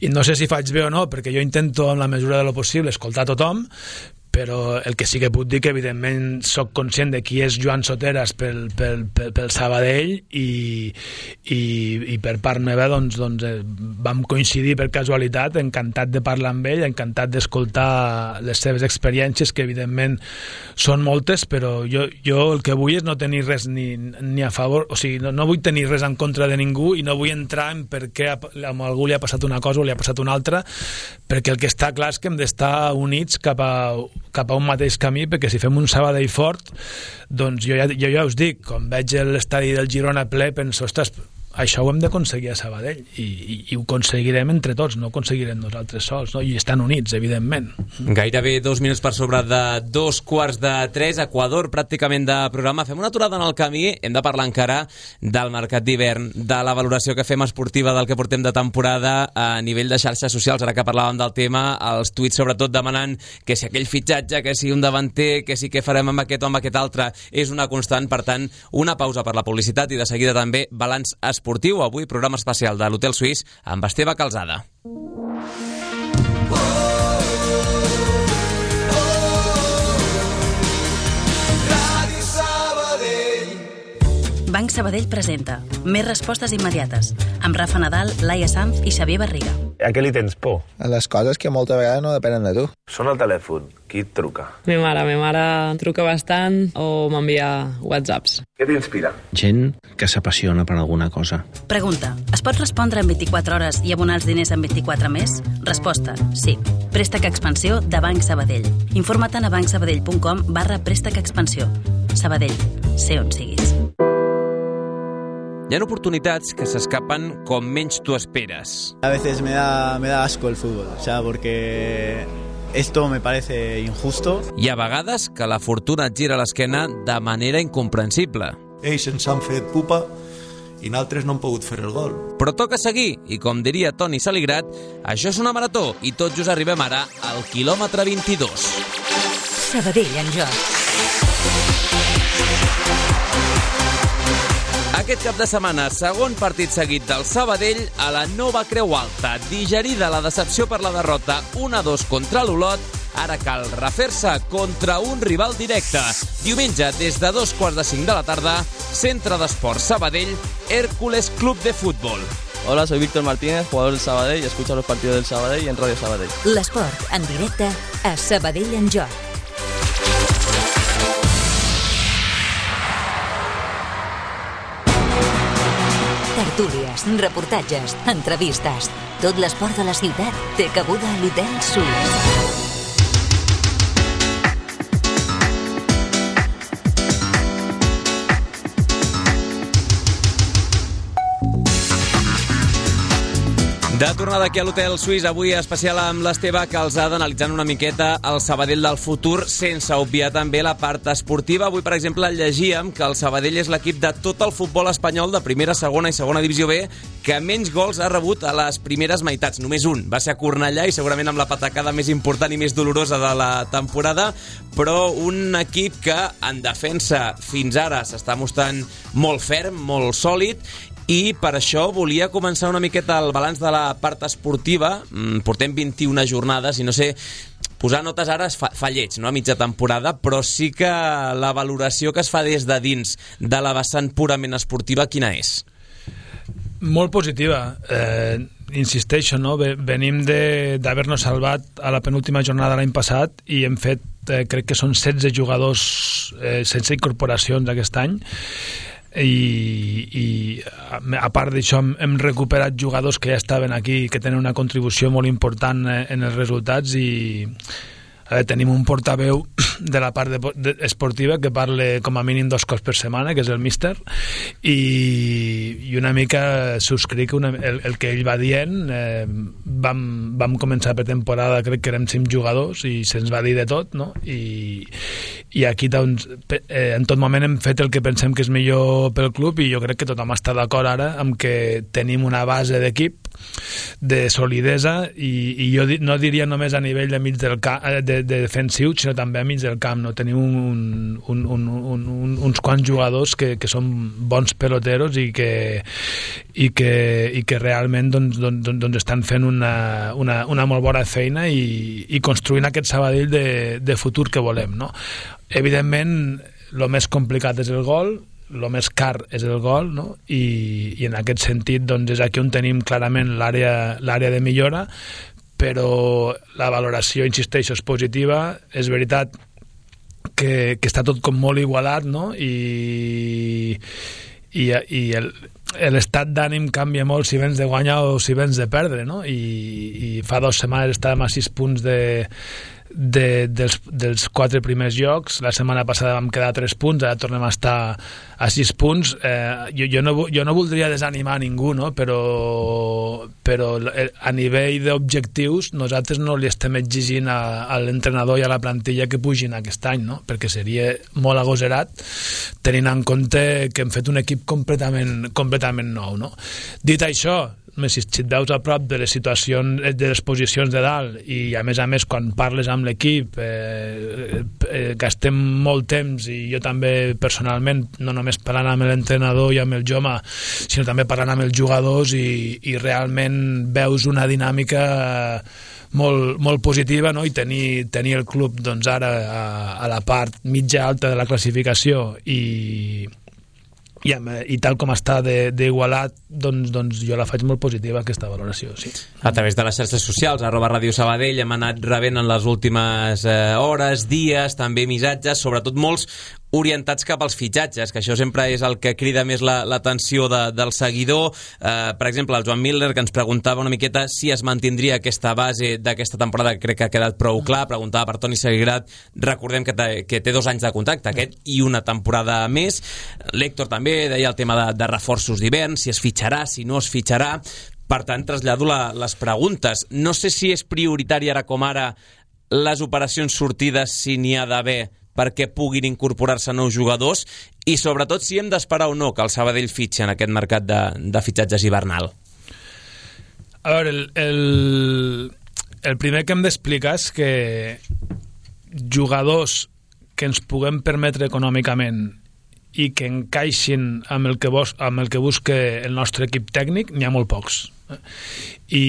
i no sé si faig bé o no, perquè jo intento en la mesura de lo possible escoltar tothom, però el que sí que puc dir que evidentment soc conscient de qui és Joan Soteras pel, pel, pel, pel Sabadell i, i, i per part meva doncs, doncs eh, vam coincidir per casualitat, encantat de parlar amb ell, encantat d'escoltar les seves experiències, que evidentment són moltes, però jo, jo el que vull és no tenir res ni, ni a favor, o sigui, no, no vull tenir res en contra de ningú i no vull entrar en per què a, a algú li ha passat una cosa o li ha passat una altra, perquè el que està clar és que hem d'estar units cap a cap a un mateix camí, perquè si fem un Sabadell fort, doncs jo ja, jo ja us dic, quan veig l'estadi del Girona ple, penso, ostres, això ho hem d'aconseguir a Sabadell i, i, i ho aconseguirem entre tots, no ho aconseguirem nosaltres sols, no? I estan units, evidentment. Gairebé dos minuts per sobre de dos quarts de tres, Equador pràcticament de programa. Fem una aturada en el camí, hem de parlar encara del mercat d'hivern, de la valoració que fem esportiva del que portem de temporada a nivell de xarxes socials, ara que parlàvem del tema, els tuits sobretot demanant que si aquell fitxatge, que si un davanter, que si què farem amb aquest o amb aquest altre, és una constant. Per tant, una pausa per la publicitat i de seguida també balanç esportiu. Avui programa especial de l'Hotel Suís amb Esteve Calzada. Banc Sabadell presenta Més respostes immediates amb Rafa Nadal, Laia Sanz i Xavier Barriga. A què li tens por? A les coses que molta vegada no depenen de tu. Sona el telèfon. Qui et truca? Mi mare. Mi mare truca bastant o m'envia whatsapps. Què t'inspira? Gent que s'apassiona per alguna cosa. Pregunta. Es pot respondre en vint-i-quatre hores i abonar els diners en vint-i-quatre més? Resposta. Sí. Préstec Expansió de Banc Sabadell. Informa't a bancsabadell.com barra préstec expansió. Sabadell. Sé on siguis. Hi ha oportunitats que s'escapen com menys tu esperes. A veces me da, me da asco el fútbol, o sea, porque esto me parece injusto. Hi ha vegades que la fortuna et gira l'esquena de manera incomprensible. Ells ens han fet pupa i nosaltres no hem pogut fer el gol. Però toca seguir, i com diria Toni Saligrat, això és una marató i tot just arribem ara al quilòmetre vint-i-dos. Sabadell en joc. Aquest cap de setmana, segon partit seguit del Sabadell a la nova Creu Alta. Digerida la decepció per la derrota un a dos contra l'Olot, ara cal refer-se contra un rival directe. Diumenge, des de dos quarts de cinc de la tarda, Centre d'Esports Sabadell, Hércules Club de Fútbol. Hola, soy Víctor Martínez, jugador del Sabadell, y escucho los partidos del Sabadell en Radio Sabadell. L'esport en directe a Sabadell en joc. Tertúlies, reportatges, entrevistes. Tot l'esport de la ciutat té cabuda a l'Hotel Suís. De tornada aquí a l'Hotel Suís, avui especial amb l'Esteve Calzada, analitzant una miqueta el Sabadell del futur, sense obviar també la part esportiva. Avui, per exemple, llegíem que el Sabadell és l'equip de tot el futbol espanyol de primera, segona i segona divisió B que menys gols ha rebut a les primeres meitats. Només un va ser a Cornellà i segurament amb la patacada més important i més dolorosa de la temporada, però un equip que en defensa fins ara s'està mostrant molt ferm, molt sòlid, i per això volia començar una miqueta el balanç de la part esportiva. Portem vint-i-una jornades i no sé, posar notes ara es fa, fa lleig, no?, a mitja temporada, però sí que la valoració que es fa des de dins de la vessant purament esportiva, quina és? Molt positiva. Eh, insisteixo, no? Venim d'haver-nos salvat a la penúltima jornada l'any passat i hem fet, eh, crec que són setze jugadors, eh, setze incorporacions aquest any, i, i a part d'això hem, hem recuperat jugadors que ja estaven aquí, que tenen una contribució molt important en els resultats, i eh, tenim un portaveu de la part de, de, esportiva que parla com a mínim dos cops per setmana, que és el míster, i, i una mica subscric una, el, el que ell va dient. eh, vam, vam començar per temporada, crec que érem cinc jugadors i se'ns va dir de tot, no? i, i aquí doncs, eh, en tot moment hem fet el que pensem que és millor pel club, i jo crec que tothom està d'acord ara amb que tenim una base d'equip de solidesa, i, i jo di, no diria només a nivell de mig del camp, de, de defensiu, sinó també a mig del camp, no? Tenim un, un, un, un, un, uns quants jugadors que, que són bons peloteros i que, i que, i que realment doncs, doncs, doncs estan fent una, una, una molt bona feina i, i construint aquest Sabadell de, de futur que volem, no? Evidentment, el més complicat és el gol, el més car és el gol, no? I, i en aquest sentit doncs, és aquí on tenim clarament l'àrea l'àrea de millora, però la valoració, insisteixo, és positiva. És veritat que, que està tot com molt igualat, no? I, i, i el, l'estat d'ànim canvia molt si vens de guanyar o si vens de perdre, no? I, i fa dues setmanes estàvem a sis punts de De, dels, dels quatre primers jocs. La setmana passada vam quedar a tres punts, ara tornem a estar a sis punts. eh, jo, jo, no, jo no voldria desanimar a ningú, no? però, però a nivell d'objectius nosaltres no li estem exigint a, a l'entrenador i a la plantilla que pugin aquest any, no? Perquè seria molt agosarat tenint en compte que hem fet un equip completament, completament nou, no? Dit això, si et veus a prop de les situacions, de les posicions de dalt, i a més a més quan parles amb l'equip eh, eh, gastem molt temps, i jo també personalment, no només parlant amb l'entrenador i amb el Joma, sinó també parlant amb els jugadors, i, i realment veus una dinàmica molt, molt positiva, no? I tenir, tenir el club doncs, ara a, a la part mitja alta de la classificació, i I, i tal com està d'igualat, doncs, doncs jo la faig molt positiva, aquesta valoració, sí. A través de les xarxes socials, arroba Ràdio Sabadell, hem anat rebent en les últimes eh, hores, dies, també missatges, sobretot molts orientats cap als fitxatges, que això sempre és el que crida més l'atenció la, de, del seguidor. Eh, per exemple, el Joan Miller, que ens preguntava una miqueta si es mantindria aquesta base d'aquesta temporada, que crec que ha quedat prou clar. Preguntava per Toni Segrat, recordem que té, que té dos anys de contracte, aquest i una temporada més. L'Héctor també deia el tema de, de reforços d'hivern, si es fitxarà, si no es fitxarà. Per tant, trasllado la, les preguntes. No sé si és prioritari ara com ara les operacions sortides, si n'hi ha d'haver, perquè puguin incorporar-se nous jugadors, i sobretot si hem d'esperar o no que el Sabadell fitxi en aquest mercat de, de fitxatges hivernal. A veure, el, el, el primer que hem d'explicar és que jugadors que ens puguem permetre econòmicament i que encaixin amb el que, bus, amb el que busca el nostre equip tècnic, n'hi ha molt pocs. I,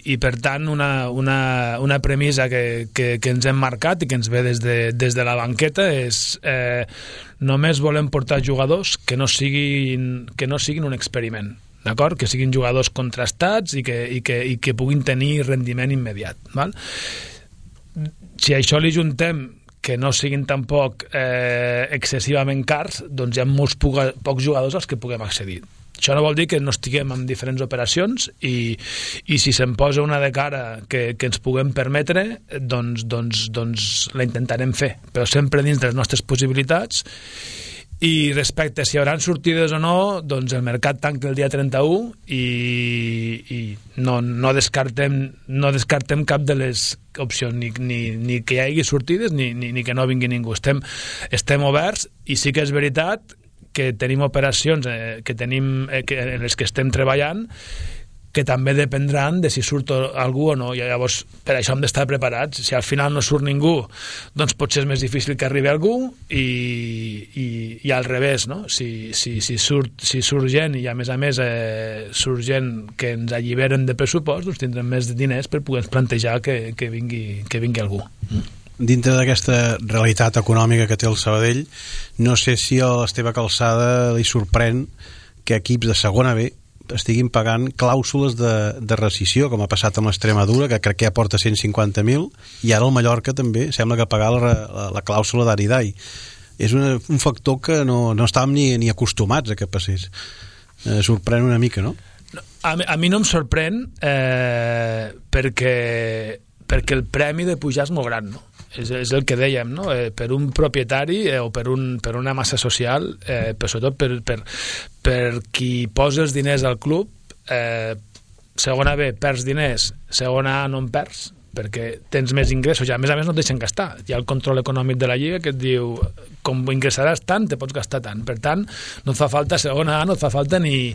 i per tant una, una, una premissa que, que, que ens hem marcat i que ens ve des de, des de la banqueta és eh, només volem portar jugadors que no siguin, que no siguin un experiment, d'acord? Que siguin jugadors contrastats i que, i que, i que puguin tenir rendiment immediat, val? Si a això li juntem que no siguin tampoc eh, excessivament cars, doncs hi ha molts pocs jugadors als que puguem accedir. Això no vol dir que no estiguem en diferents operacions, i, i si se'n posa una de cara que, que ens puguem permetre, doncs, doncs, doncs la intentarem fer, però sempre dins de les nostres possibilitats, I respecte a si hi haurà sortides o no, doncs el mercat tanca el dia trenta-u i, i no, no, descartem, no descartem cap de les opcions, ni, ni, ni que hi hagi sortides ni, ni, ni que no vingui ningú. Estem, estem oberts i sí que és veritat que tenim operacions eh, que tenim, eh, que, en les que estem treballant que també dependran de si surt algú o no, i llavors per això hem d'estar preparats. Si al final no surt ningú, doncs potser és més difícil que arribi algú, i, i, i al revés, no? Si, si, si, surt, si surt gent, i a més a més eh, surt gent que ens alliberen de pressupost, doncs tindrem més diners per poder plantejar que, que, vingui, que vingui algú. Dintre d'aquesta realitat econòmica que té el Sabadell, no sé si a l'Esteve Calçada li sorprèn que equips de segona B estiguin pagant clàusules de, de rescissió, com ha passat amb l'Extremadura, que crec que ja porta cent cinquanta mil, i ara el Mallorca també sembla que pagar la, la, la clàusula d'Aridai. És una, un factor que no, no estàvem ni, ni acostumats a que passés. Eh, sorprèn una mica, no? A mi, a mi no em sorprèn eh, perquè, perquè el premi de pujar és molt gran, no? És, és el que dèiem, no? Eh, per un propietari eh, o per, un, per una massa social, eh, però sobretot per, per, per qui posa els diners al club, eh, segona B perds diners, segona A no en perds, perquè tens més ingressos, i a més a més no et deixen gastar. Hi ha el control econòmic de la Lliga que et diu com ingressaràs tant, te pots gastar tant. Per tant, no et fa falta segona A, no et fa falta ni,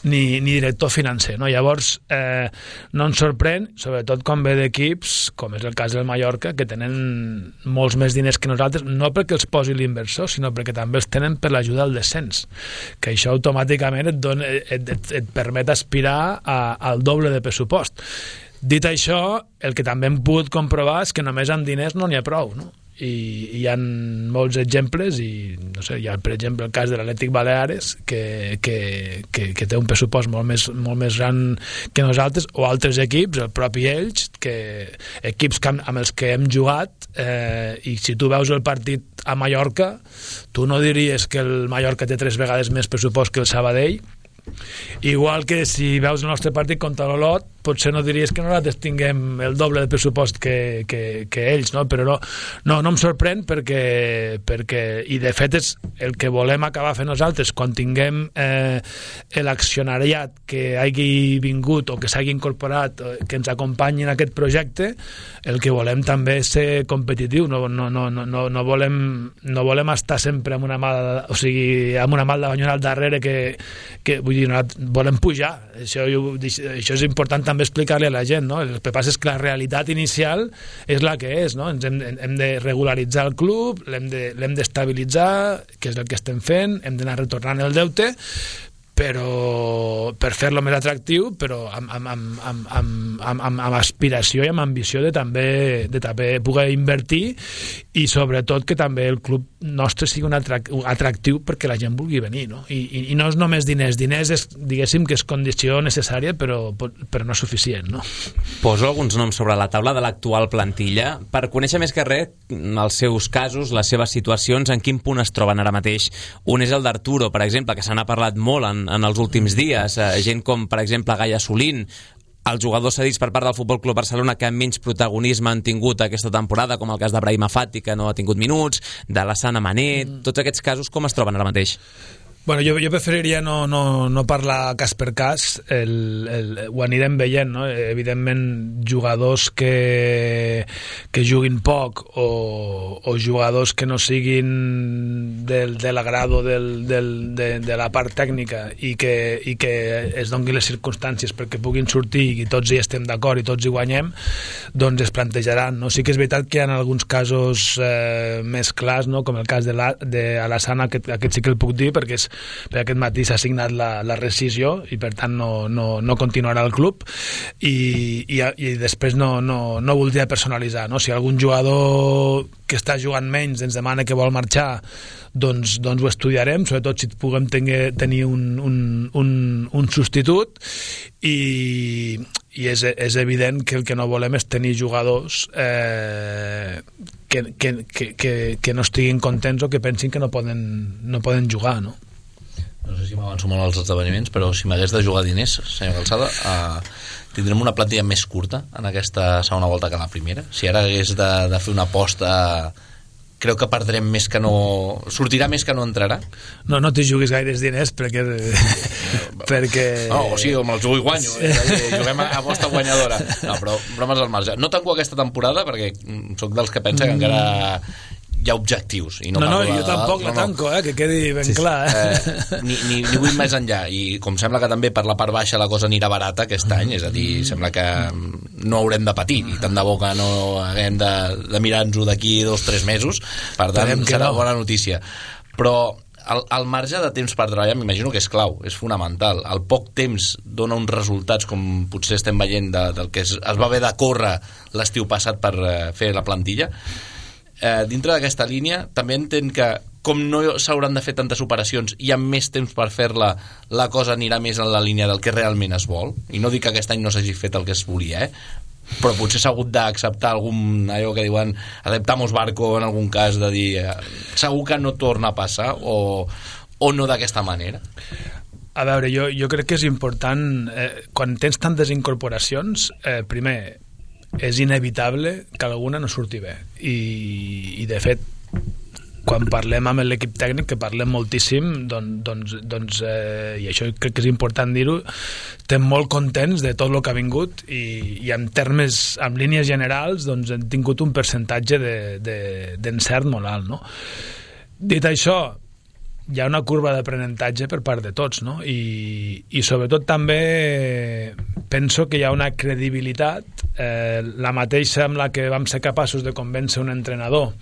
ni, ni director financer, no? Llavors, eh, no ens sorprèn, sobretot quan ve d'equips, com és el cas del Mallorca, que tenen molts més diners que nosaltres, no perquè els posi l'inversor, sinó perquè també els tenen per l'ajuda al descens, que això automàticament et, dona, et, et, et permet aspirar a, al doble de pressupost. Dit això, el que també hem pogut comprovar és que només amb diners no n'hi ha prou, no? I, i hi ha molts exemples, i no sé, hi ha per exemple el cas de l'Atlètic Baleares que, que, que, que té un pressupost molt més, molt més gran que nosaltres, o altres equips, el propi Elx, que, equips que, amb els que hem jugat, eh, i si tu veus el partit a Mallorca, tu no diries que el Mallorca té tres vegades més pressupost que el Sabadell. Igual que si veus el nostre partit contra l'Olot, potser no diries que nosaltres tinguem el doble de pressupost que, que, que ells, no? Però no, no, no em sorprèn perquè, perquè, i de fet és el que volem acabar fent nosaltres quan tinguem eh, l'accionariat que hagi vingut o que s'hagi incorporat, que ens acompanyi en aquest projecte. El que volem també és ser competitiu, no, no, no, no, no, volem, no volem estar sempre amb una mà, o sigui, amb una mà de banyona al darrere que, que vull dir, no, volem pujar. Això, això és important també explicar-li a la gent, no? El que passa és que la realitat inicial és la que és, no? Ens hem, hem de regularitzar el club, l'hem de, l'hem d'estabilitzar, que és el que estem fent, hem d'anar retornant el deute, però per fer-lo més atractiu, però amb, amb, amb, amb, amb, amb, amb aspiració i amb ambició de també, de també poder invertir, i sobretot que també el club nostre sigui un atractiu perquè la gent vulgui venir, no? I, i, i no és només diners, diners és, diguéssim que és condició necessària, però, però no suficient, no? Poso alguns noms sobre la taula de l'actual plantilla per conèixer més que res els seus casos, les seves situacions, en quin punt es troben ara mateix. Un és el d'Arturo, per exemple, que se n'ha parlat molt en en els últims dies, eh, gent com per exemple Gaia Solín, els jugadors cedits per part del Futbol Club Barcelona que menys protagonisme han tingut aquesta temporada, com el cas de Brahima Fati, que no ha tingut minuts, de la Sana Manet, mm. tots aquests casos com es troben ara mateix? Bueno, jo, jo preferiria no, no, no parlar cas per cas, el, el, ho anirem veient, no? Evidentment jugadors que, que juguin poc o, o jugadors que no siguin del, de l'agrado del, del, de, de la part tècnica i que, i que es donguin les circumstàncies perquè puguin sortir i tots hi estem d'acord i tots hi guanyem, doncs es plantejaran, no? Sí que és veritat que hi ha alguns casos eh, més clars, no? Com el cas de, la, de Alassana, aquest, aquest sí que el puc dir perquè és perquè aquest matí s'ha signat la, la rescissió i per tant no, no, no continuarà el club, i, i, i després no, no, no voldria personalitzar, no? Si algun jugador que està jugant menys ens demana que vol marxar, doncs, doncs ho estudiarem, sobretot si puguem tenir, tenir un, un, un, un substitut, i, i és, és evident que el que no volem és tenir jugadors eh, que, que, que, que, que no estiguin contents o que pensin que no poden, no poden jugar, no? No sé si m'avanço molt als esdeveniments, però si m'hagués de jugar diners, senyor Calçada, eh, tindrem una plantilla més curta en aquesta segona volta que la primera. Si ara hagués de, de fer una aposta, creu que perdrem més que no... sortirà més que no entrarà? No, no t'hi juguis gaires diners perquè... perquè... No, o sigui, me'ls jugo i guanyo, eh? Juguem a aposta guanyadora. No, però bromes al marge. No tanco aquesta temporada perquè sóc dels que pensa que encara hi ha objectius. I no, no, no, de, jo tampoc no, la tanco, eh, que quedi ben sí, clar. Eh? Eh, ni, ni, ni vull més enllà. I com sembla que també per la part baixa la cosa anirà barata aquest any, és a dir, sembla que no haurem de patir, i tant de bo que no haguem de, de mirar-nos-ho d'aquí dos o tres mesos, per tant serà no. bona notícia. Però el, el marge de temps per treballar m'imagino que és clau, és fonamental. El poc temps dona uns resultats, com potser estem veient de, del que es, es va haver de córrer l'estiu passat per uh, fer la plantilla. Eh, dintre d'aquesta línia també entenc que com no s'hauran de fer tantes operacions i amb més temps per fer-la, la cosa anirà més en la línia del que realment es vol, i no dic que aquest any no s'hagi fet el que es volia, eh? Però potser s'ha hagut d'acceptar algun, allò que diuen adaptamos barco en algun cas, de dir eh, segur que no torna a passar o, o no d'aquesta manera. A veure, jo, jo crec que és important eh, quan tens tantes incorporacions, eh, primer és inevitable que alguna no surti bé i, i de fet quan parlem amb l'equip tècnic, que parlem moltíssim, doncs, doncs, doncs eh, i això crec que és important dir-ho, estem molt contents de tot el que ha vingut i, i en termes, en línies generals, doncs hem tingut un percentatge de, de, d'encert molt alt, no? Dit això, hi ha una curva d'aprenentatge per part de tots, no? I, i sobretot també penso que hi ha una credibilitat, eh, la mateixa amb la que vam ser capaços de convèncer un entrenador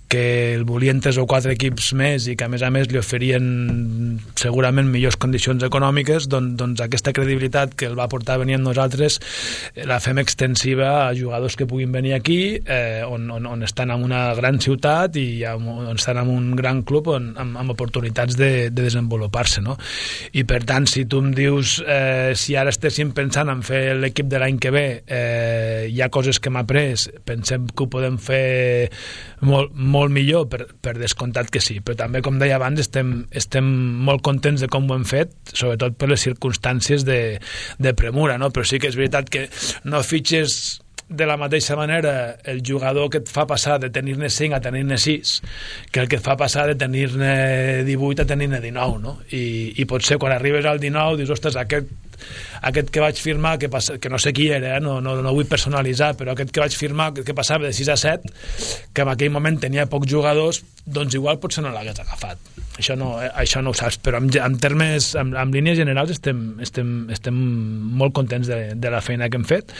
que el volien tres o quatre equips més i que a més a més li oferien segurament millors condicions econòmiques, doncs, doncs aquesta credibilitat que el va portar a venir amb nosaltres la fem extensiva a jugadors que puguin venir aquí, eh, on, on, on estan en una gran ciutat i on estan en un gran club on, amb, amb oportunitats de, de desenvolupar-se, no? I per tant, si tu em dius eh, si ara estéssim pensant en fer l'equip de l'any que ve, eh, hi ha coses que m'ha après, pensem que ho podem fer molt, molt millor, per, per descomptat que sí, però també, com deia abans, estem, estem molt contents de com ho hem fet, sobretot per les circumstàncies de, de premura, no? Però sí que és veritat que no fitxes de la mateixa manera el jugador que et fa passar de tenir-ne cinc a tenir-ne sis que el que et fa passar de tenir-ne divuit a tenir-ne dinou, no? I, i potser quan arribes al dinou dius, ostres, aquest aquest que vaig firmar, que, passa, que no sé qui era, eh? no, no, no vull personalitzar, però aquest que vaig firmar, que passava de sis a set, que en aquell moment tenia pocs jugadors, doncs igual potser no l'hagués agafat. Això no, eh, això no ho saps, però en, en termes, en, en línies generals estem, estem, estem molt contents de, de la feina que hem fet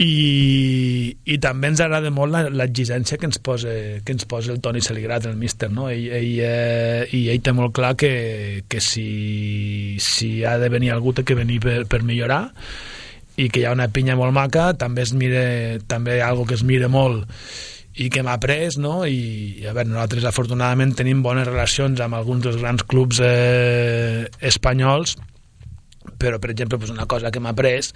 i, i també ens agrada molt l'exigència que ens posa, que ens posa el Toni Saligrat, el míster, no? Ell, ell, eh, i ell té molt clar que, que si, si ha de venir algú té que venir per, per millorar i que hi ha una pinya molt maca, també es mira, també hi ha algo que es mira molt i que m'ha pres, no? I a veure, nosaltres afortunadament tenim bones relacions amb alguns dels grans clubs eh, espanyols, però per exemple una cosa que m'ha pres,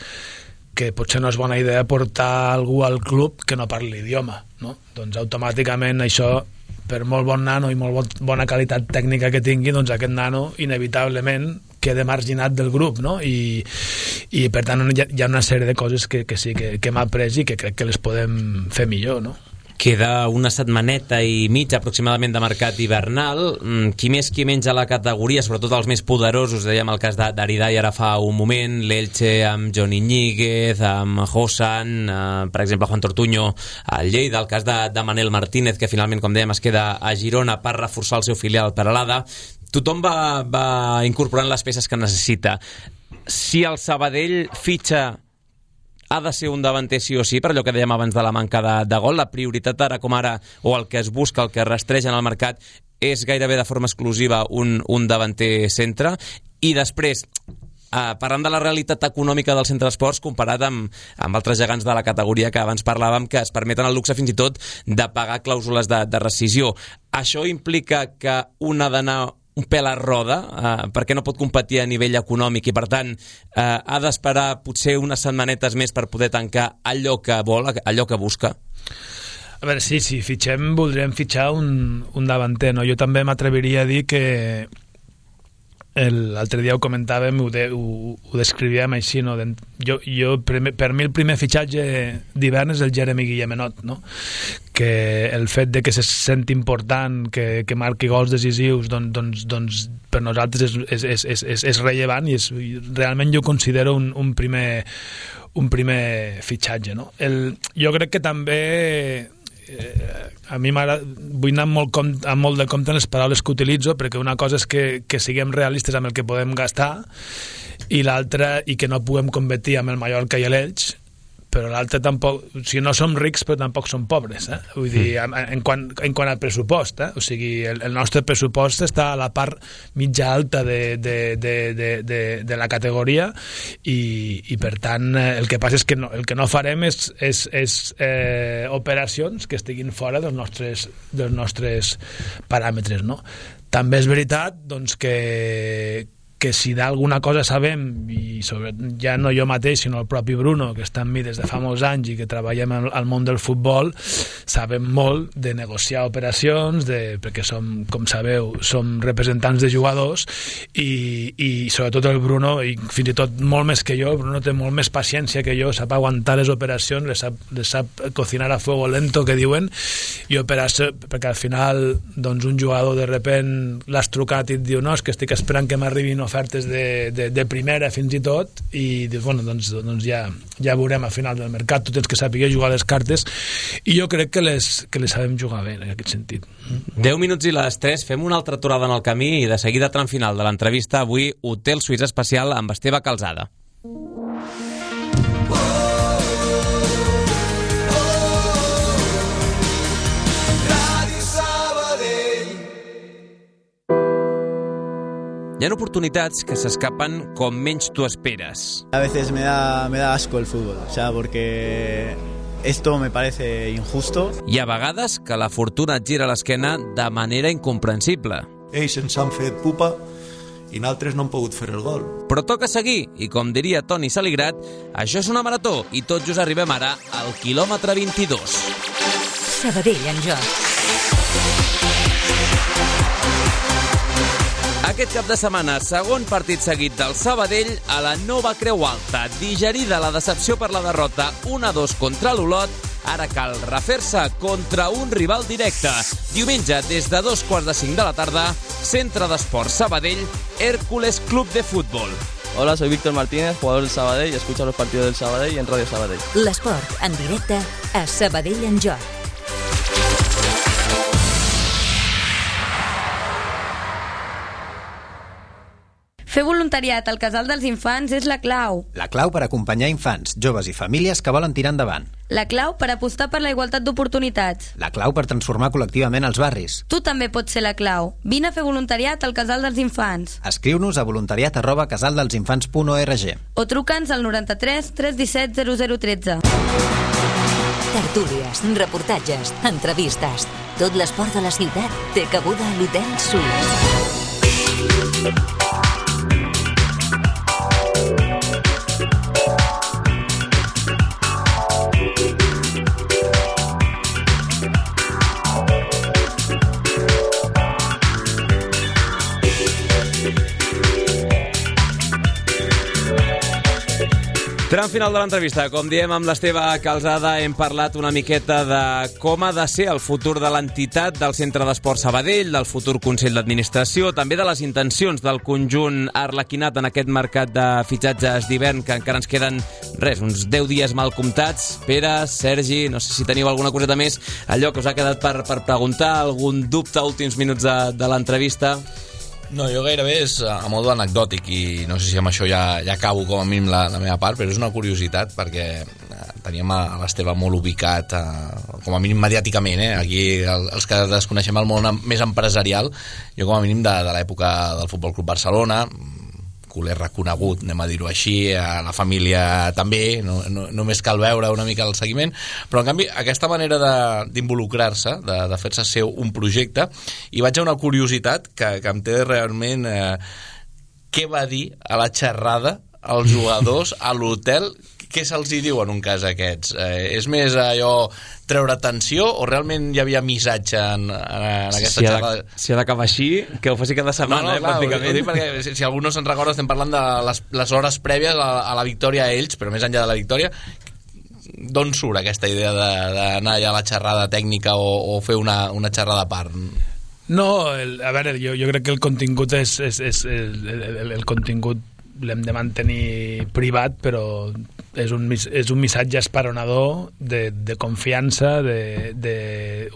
que potser no és bona idea portar algú al club que no parli l'idioma, no? Doncs automàticament això, per molt bon nano i molt bon, bona qualitat tècnica que tingui, doncs aquest nano inevitablement queda marginat del grup, no? I, i per tant hi ha, hi ha una sèrie de coses que, que sí que, que m'ha pres i que crec que les podem fer millor, no? Queda una setmaneta i mitja aproximadament de mercat hivernal. Qui més, qui menys a la categoria, sobretot els més poderosos, dèiem el cas d'Aridai ara fa un moment, l'Elche amb Johnny Ñíguez, amb Hosan, eh, per exemple Juan Tortuño al Lleida, el cas de, de Manel Martínez, que finalment, com dèiem, es queda a Girona per reforçar el seu filial per Peralada. Tothom va, va incorporant les peces que necessita. Si el Sabadell fitxa, ha de ser un davanter sí o sí, per allò que dèiem abans de la manca de, de gol. La prioritat ara com ara, o el que es busca, el que es rastreja en el mercat, és gairebé de forma exclusiva un, un davanter centre. I després, eh, parlant de la realitat econòmica del centre d'esports comparat amb, amb altres gegants de la categoria que abans parlàvem, que es permeten el luxe fins i tot de pagar clàusules de, de rescisió. Això implica que un ha d'anar un pèl a roda, eh, perquè no pot competir a nivell econòmic i per tant eh, ha d'esperar potser unes setmanetes més per poder tancar allò que vol, allò que busca. A veure, sí, si fitxem voldríem fitxar un, un davanter, no? Jo també m'atreviria a dir que l'altre dia ho comentàvem, ho, de, ho, ho descrivíem així, no? jo, jo, per mi el primer fitxatge d'hivern és el Jeremy Guillemenot, no? Que el fet de que se senti important, que, que marqui gols decisius, doncs, doncs, doncs per nosaltres és, és, és, és, és rellevant i és, realment jo considero un, un, primer, un primer fitxatge, no? El, jo crec que també eh, a mi vull anar molt, com, amb molt de compte en les paraules que utilitzo, perquè una cosa és que, que siguem realistes amb el que podem gastar i l'altra, i que no puguem competir amb el Mallorca i l'Elx, però l'altre tampoc, o sigui, no som rics però tampoc som pobres, eh? Vull dir, en, en, quant, en quant al pressupost, eh? O sigui, el, el nostre pressupost està a la part mitja alta de, de, de, de, de, de la categoria i, i per tant el que passa és que no, el que no farem és, és, és eh, operacions que estiguin fora dels nostres, dels nostres paràmetres, no? També és veritat doncs, que que si d'alguna cosa sabem, i sobre, ja no jo mateix, sinó el propi Bruno, que està amb mi des de fa molts anys i que treballem al, al món del futbol, sabem molt de negociar operacions, de, perquè som, com sabeu, som representants de jugadors i, i sobretot el Bruno, i fins i tot molt més que jo, el Bruno té molt més paciència que jo, sap aguantar les operacions, les sap, les sap cocinar a fuego lento, que diuen, i operació, perquè al final doncs, un jugador de repent l'has trucat i et diu no, és que estic esperant que m'arribin ofertes de, de, de primera fins i tot i dius, bueno, doncs, doncs ja, ja veurem al final del mercat, tu tens que saber jugar les cartes i jo crec que les, que les sabem jugar bé en aquest sentit. deu minuts i les tres, fem una altra aturada en el camí i de seguida tram final de l'entrevista avui Hotel Suís especial amb Esteve Calzada. Hi ha oportunitats que s'escapen com menys tu esperes. A veces me da, me da asco el fútbol, o sea, porque esto me parece injusto. I a vegades que la fortuna et gira l'esquena de manera incomprensible. Ells ens han fet pupa i nosaltres no hem pogut fer el gol. Però toca seguir, i com diria Toni Saligrat, això és una marató i tot just arribem ara al quilòmetre vint-i-dos. Sabadell en joc. Aquest cap de setmana, segon partit seguit del Sabadell a la nova Creu Alta. Digerida la decepció per la derrota un a dos contra l'Olot, ara cal refer-se contra un rival directe. Diumenge, des de dos quarts de cinc de la tarda, Centre d'Esports Sabadell, Hércules Club de Fútbol. Hola, soy Víctor Martínez, jugador del Sabadell, y escucho los partidos del Sabadell en Radio Sabadell. L'esport en directe a Sabadell en joc. Fer voluntariat al Casal dels Infants és la clau. La clau per acompanyar infants, joves i famílies que volen tirar endavant. La clau per apostar per la igualtat d'oportunitats. La clau per transformar col·lectivament els barris. Tu també pots ser la clau. Vine a fer voluntariat al Casal dels Infants. Escriu-nos a voluntariat arroba casaldelsинfants punt org o truca'ns al noranta-tres tres disset zero zero tretze. Tertúlies, reportatges, entrevistes. Tot l'esport de la ciutat té cabuda a l'Hotel Suís. Tram final de l'entrevista. Com diem amb l'Esteve Calzada, hem parlat una miqueta de com ha de ser el futur de l'entitat del Centre d'Esports Sabadell, del futur Consell d'Administració, també de les intencions del conjunt arlequinat en aquest mercat de fitxatges d'hivern, que encara ens queden, res, uns deu dies mal comptats. Pere, Sergi, no sé si teniu alguna coseta més, allò que us ha quedat per, per preguntar, algun dubte a últims minuts de, de l'entrevista? No, jo gairebé és a modo anecdòtic i no sé si amb això ja, ja acabo com a mínim la, la meva part, però és una curiositat perquè teníem a, a l'Esteve molt ubicat, a, com a mínim mediàticament, eh? Aquí el, els que desconeixem el món més empresarial, jo com a mínim de, de l'època del Futbol Club Barcelona, culer reconegut, anem a dir-ho així, a la família també, no, no, només cal veure una mica el seguiment, però en canvi aquesta manera d'involucrar-se, de, de, de fer-se seu un projecte, i vaig a una curiositat que, que em té realment eh, què va dir a la xerrada als jugadors a l'hotel, què se'ls hi diu en un cas aquests? Eh, és més allò treure tensió o realment hi havia missatge en, en aquesta si xerrada? Ha de, si ha d'acabar així, que ho faci cada setmana, no, no, eh, clar, pràcticament. Ho dic perquè si, si algú no se'n recorda, estem parlant de les, les hores prèvies a, a la victòria a ells, però més enllà de la victòria, d'on surt aquesta idea d'anar allà a la xerrada tècnica o, o fer una, una xerrada a part? No, el, a veure, jo, jo crec que el contingut és, és, és el, el, el contingut l'hem de mantenir privat, però és un, és un missatge esperonador de, de confiança, de, de,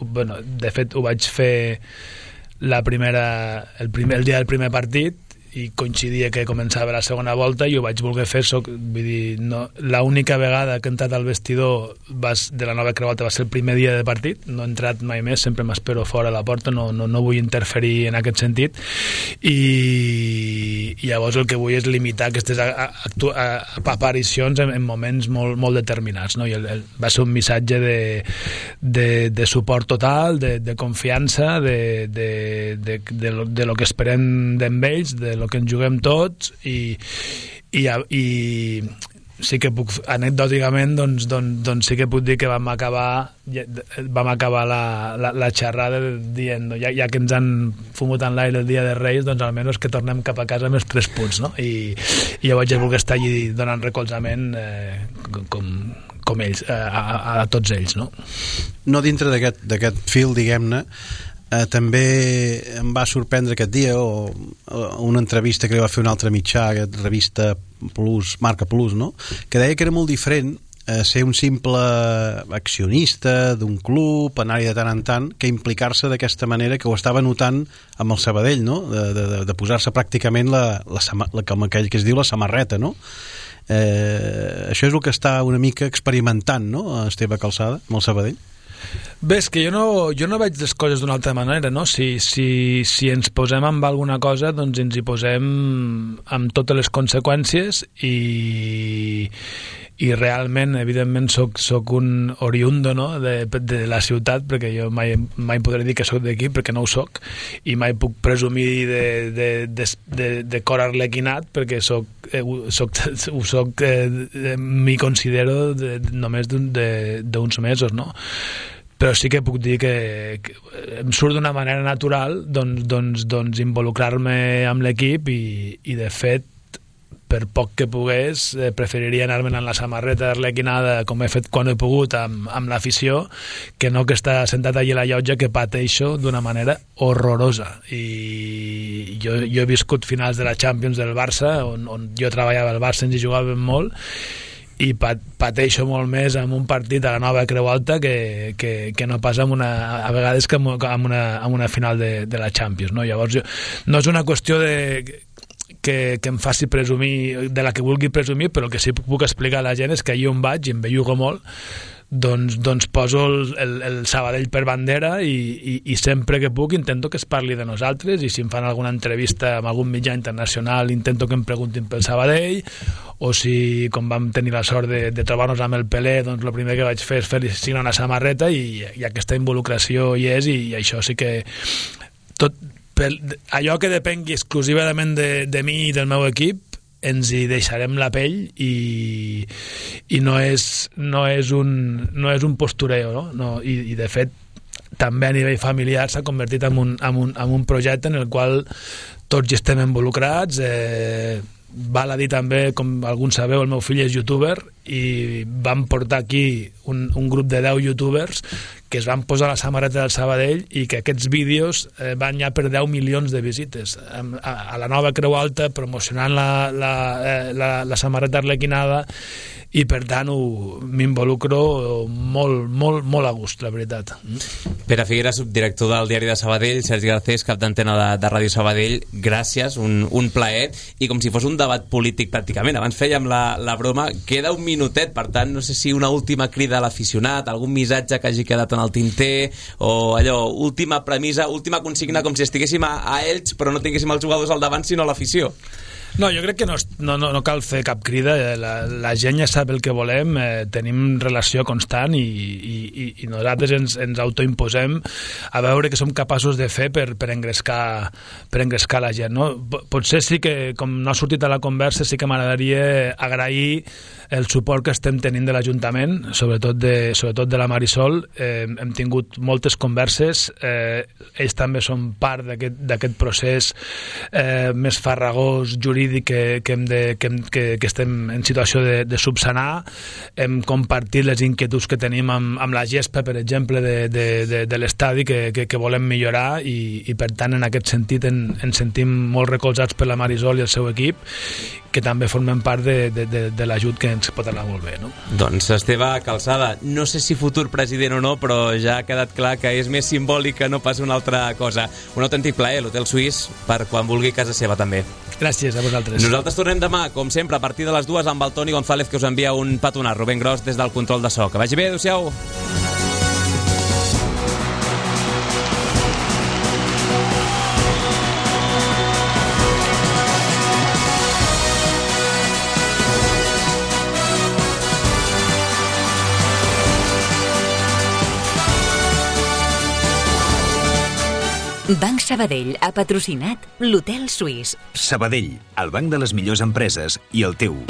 bueno, de fet ho vaig fer la primera, el, primer, el dia del primer partit i coincidia que començava la segona volta i ho vaig voler fer, soc, vull dir, no, l'única vegada que he entrat al vestidor vas, de la nova Creu Alta va ser el primer dia de partit, no he entrat mai més, sempre m'espero fora a la porta, no, no, no vull interferir en aquest sentit i, i llavors el que vull és limitar aquestes a, a, a, aparicions en, en moments molt, molt determinats, no? I el, el, va ser un missatge de, de, de suport total, de, de confiança, de, de, de, de, lo, de lo que esperem d'ells, de lo que ens juguem tots i, i, i sí que puc, anecdòticament doncs, doncs, doncs sí que puc dir que vam acabar vam acabar la, la, la xerrada dient, ja, ja que ens han fumut en l'aire el dia de Reis, doncs almenys que tornem cap a casa amb els tres punts, no? I, i jo vaig voler estar allí donant recolzament eh, com, com ells, a, a, a tots ells, no? No dintre d'aquest d'aquest fil, diguem-ne, Eh, també em va sorprendre aquest dia o, o una entrevista que li va fer un altre mitjà, aquesta revista Plus, Marca Plus, no? Que deia que era molt diferent eh, ser un simple accionista d'un club, anar-hi de tant en tant, que implicar-se d'aquesta manera, que ho estava notant amb el Sabadell, no? De, de, de posar-se pràcticament la, la, la, com aquell que es diu la samarreta, no? Eh, això és el que està una mica experimentant, no? Esteve Calçada, amb el Sabadell. Bé, és que jo no, jo no veig les coses d'una altra manera, no? Si, si, si ens posem amb alguna cosa, doncs ens hi posem amb totes les conseqüències i, i realment, evidentment, soc, soc un oriundo, no? de, de la ciutat, perquè jo mai, mai podré dir que soc d'aquí, perquè no ho soc, i mai puc presumir de, de, de, de, de cor arlequinat, perquè soc, eh, soc, soc eh, m'hi considero de, només d'uns mesos, no? Però sí que puc dir que, que em surt d'una manera natural doncs, doncs, doncs involucrar-me amb l'equip i, i de fet per poc que pogués eh, preferiria anar-me'n en la samarreta arlequinada com he fet quan he pogut amb, amb l'afició que no que estar sentat allà a la llotja que pateixo d'una manera horrorosa i jo, jo he viscut finals de la Champions del Barça on, on jo treballava al Barça, ens hi jugàvem molt i pateixo molt més amb un partit a la nova Creu Alta que, que, que no pas amb una, a vegades que amb una, amb una final de, de la Champions, no? Llavors jo, no és una qüestió de que, que em faci presumir de la que vulgui presumir, però el que sí puc explicar a la gent és que allà on vaig i em bellugo molt doncs, doncs poso el, el, el Sabadell per bandera i, i, i sempre que puc intento que es parli de nosaltres i si em fan alguna entrevista amb algun mitjà internacional intento que em preguntin pel Sabadell o si com vam tenir la sort de, de trobar-nos amb el Pelé doncs el primer que vaig fer és fer signar una samarreta i, i aquesta involucració hi és i, i això sí que tot, per, allò que depengui exclusivament de, de mi i del meu equip ens hi deixarem la pell i, i no, és, no, és un, no és un postureo, no? No, i, i de fet també a nivell familiar s'ha convertit en un, en, un, en un projecte en el qual tots hi estem involucrats eh, val a dir també, com alguns sabeu, el meu fill és youtuber i vam portar aquí un, un grup de deu youtubers que es van posar la samarreta del Sabadell i que aquests vídeos eh, van ja per deu milions de visites a, a, a la nova Creu Alta promocionant la, la, eh, la, la samarreta arlequinada i per tant m'involucro molt, molt, molt a gust, la veritat. Pere Figueras, subdirector del Diari de Sabadell, Sergi Garcés, cap d'antena de, de Ràdio Sabadell, gràcies, un, un plaer, i com si fos un debat polític pràcticament, abans fèiem la, la broma, queda un minutet, per tant, no sé si una última crida a l'aficionat, algun missatge que hagi quedat en el tinter, o allò, última premissa, última consigna, com si estiguéssim a, a Elx, però no tinguéssim els jugadors al davant, sinó a l'afició. No, jo crec que no, no, no cal fer cap crida, la, la gent ja sap el que volem, eh, tenim relació constant i, i, i nosaltres ens, ens autoimposem a veure què som capaços de fer per, per, engrescar, per engrescar la gent. No? Potser sí que, com no ha sortit a la conversa, sí que m'agradaria agrair el suport que estem tenint de l'Ajuntament, sobretot de, sobretot de la Marisol. Eh, hem tingut moltes converses, eh, ells també són part d'aquest procés eh, més farragós, jurídic, que, que, hem de, que, hem, que, que estem en situació de, de subsanar. Hem compartit les inquietuds que tenim amb, amb la gespa, per exemple, de, de, de, de l'estadi, que, que, que volem millorar, i, i per tant, en aquest sentit, en, ens sentim molt recolzats per la Marisol i el seu equip, que també formem part de, de, de, de l'ajut que ens pot anar molt bé, no? Doncs Esteve Calçada, no sé si futur president o no, però ja ha quedat clar que és més simbòlic que no pas una altra cosa. Un autèntic plaer, l'Hotel Suís, per quan vulgui casa seva també. Gràcies a vosaltres. Nosaltres tornem demà, com sempre, a partir de les dues amb el Toni González, que us envia un petonat, Rubén Gros, des del control de so. Que vagi bé, adéu-siau. Banc Sabadell ha patrocinat l'Hotel Suís. Sabadell, el banc de les millors empreses i el teu.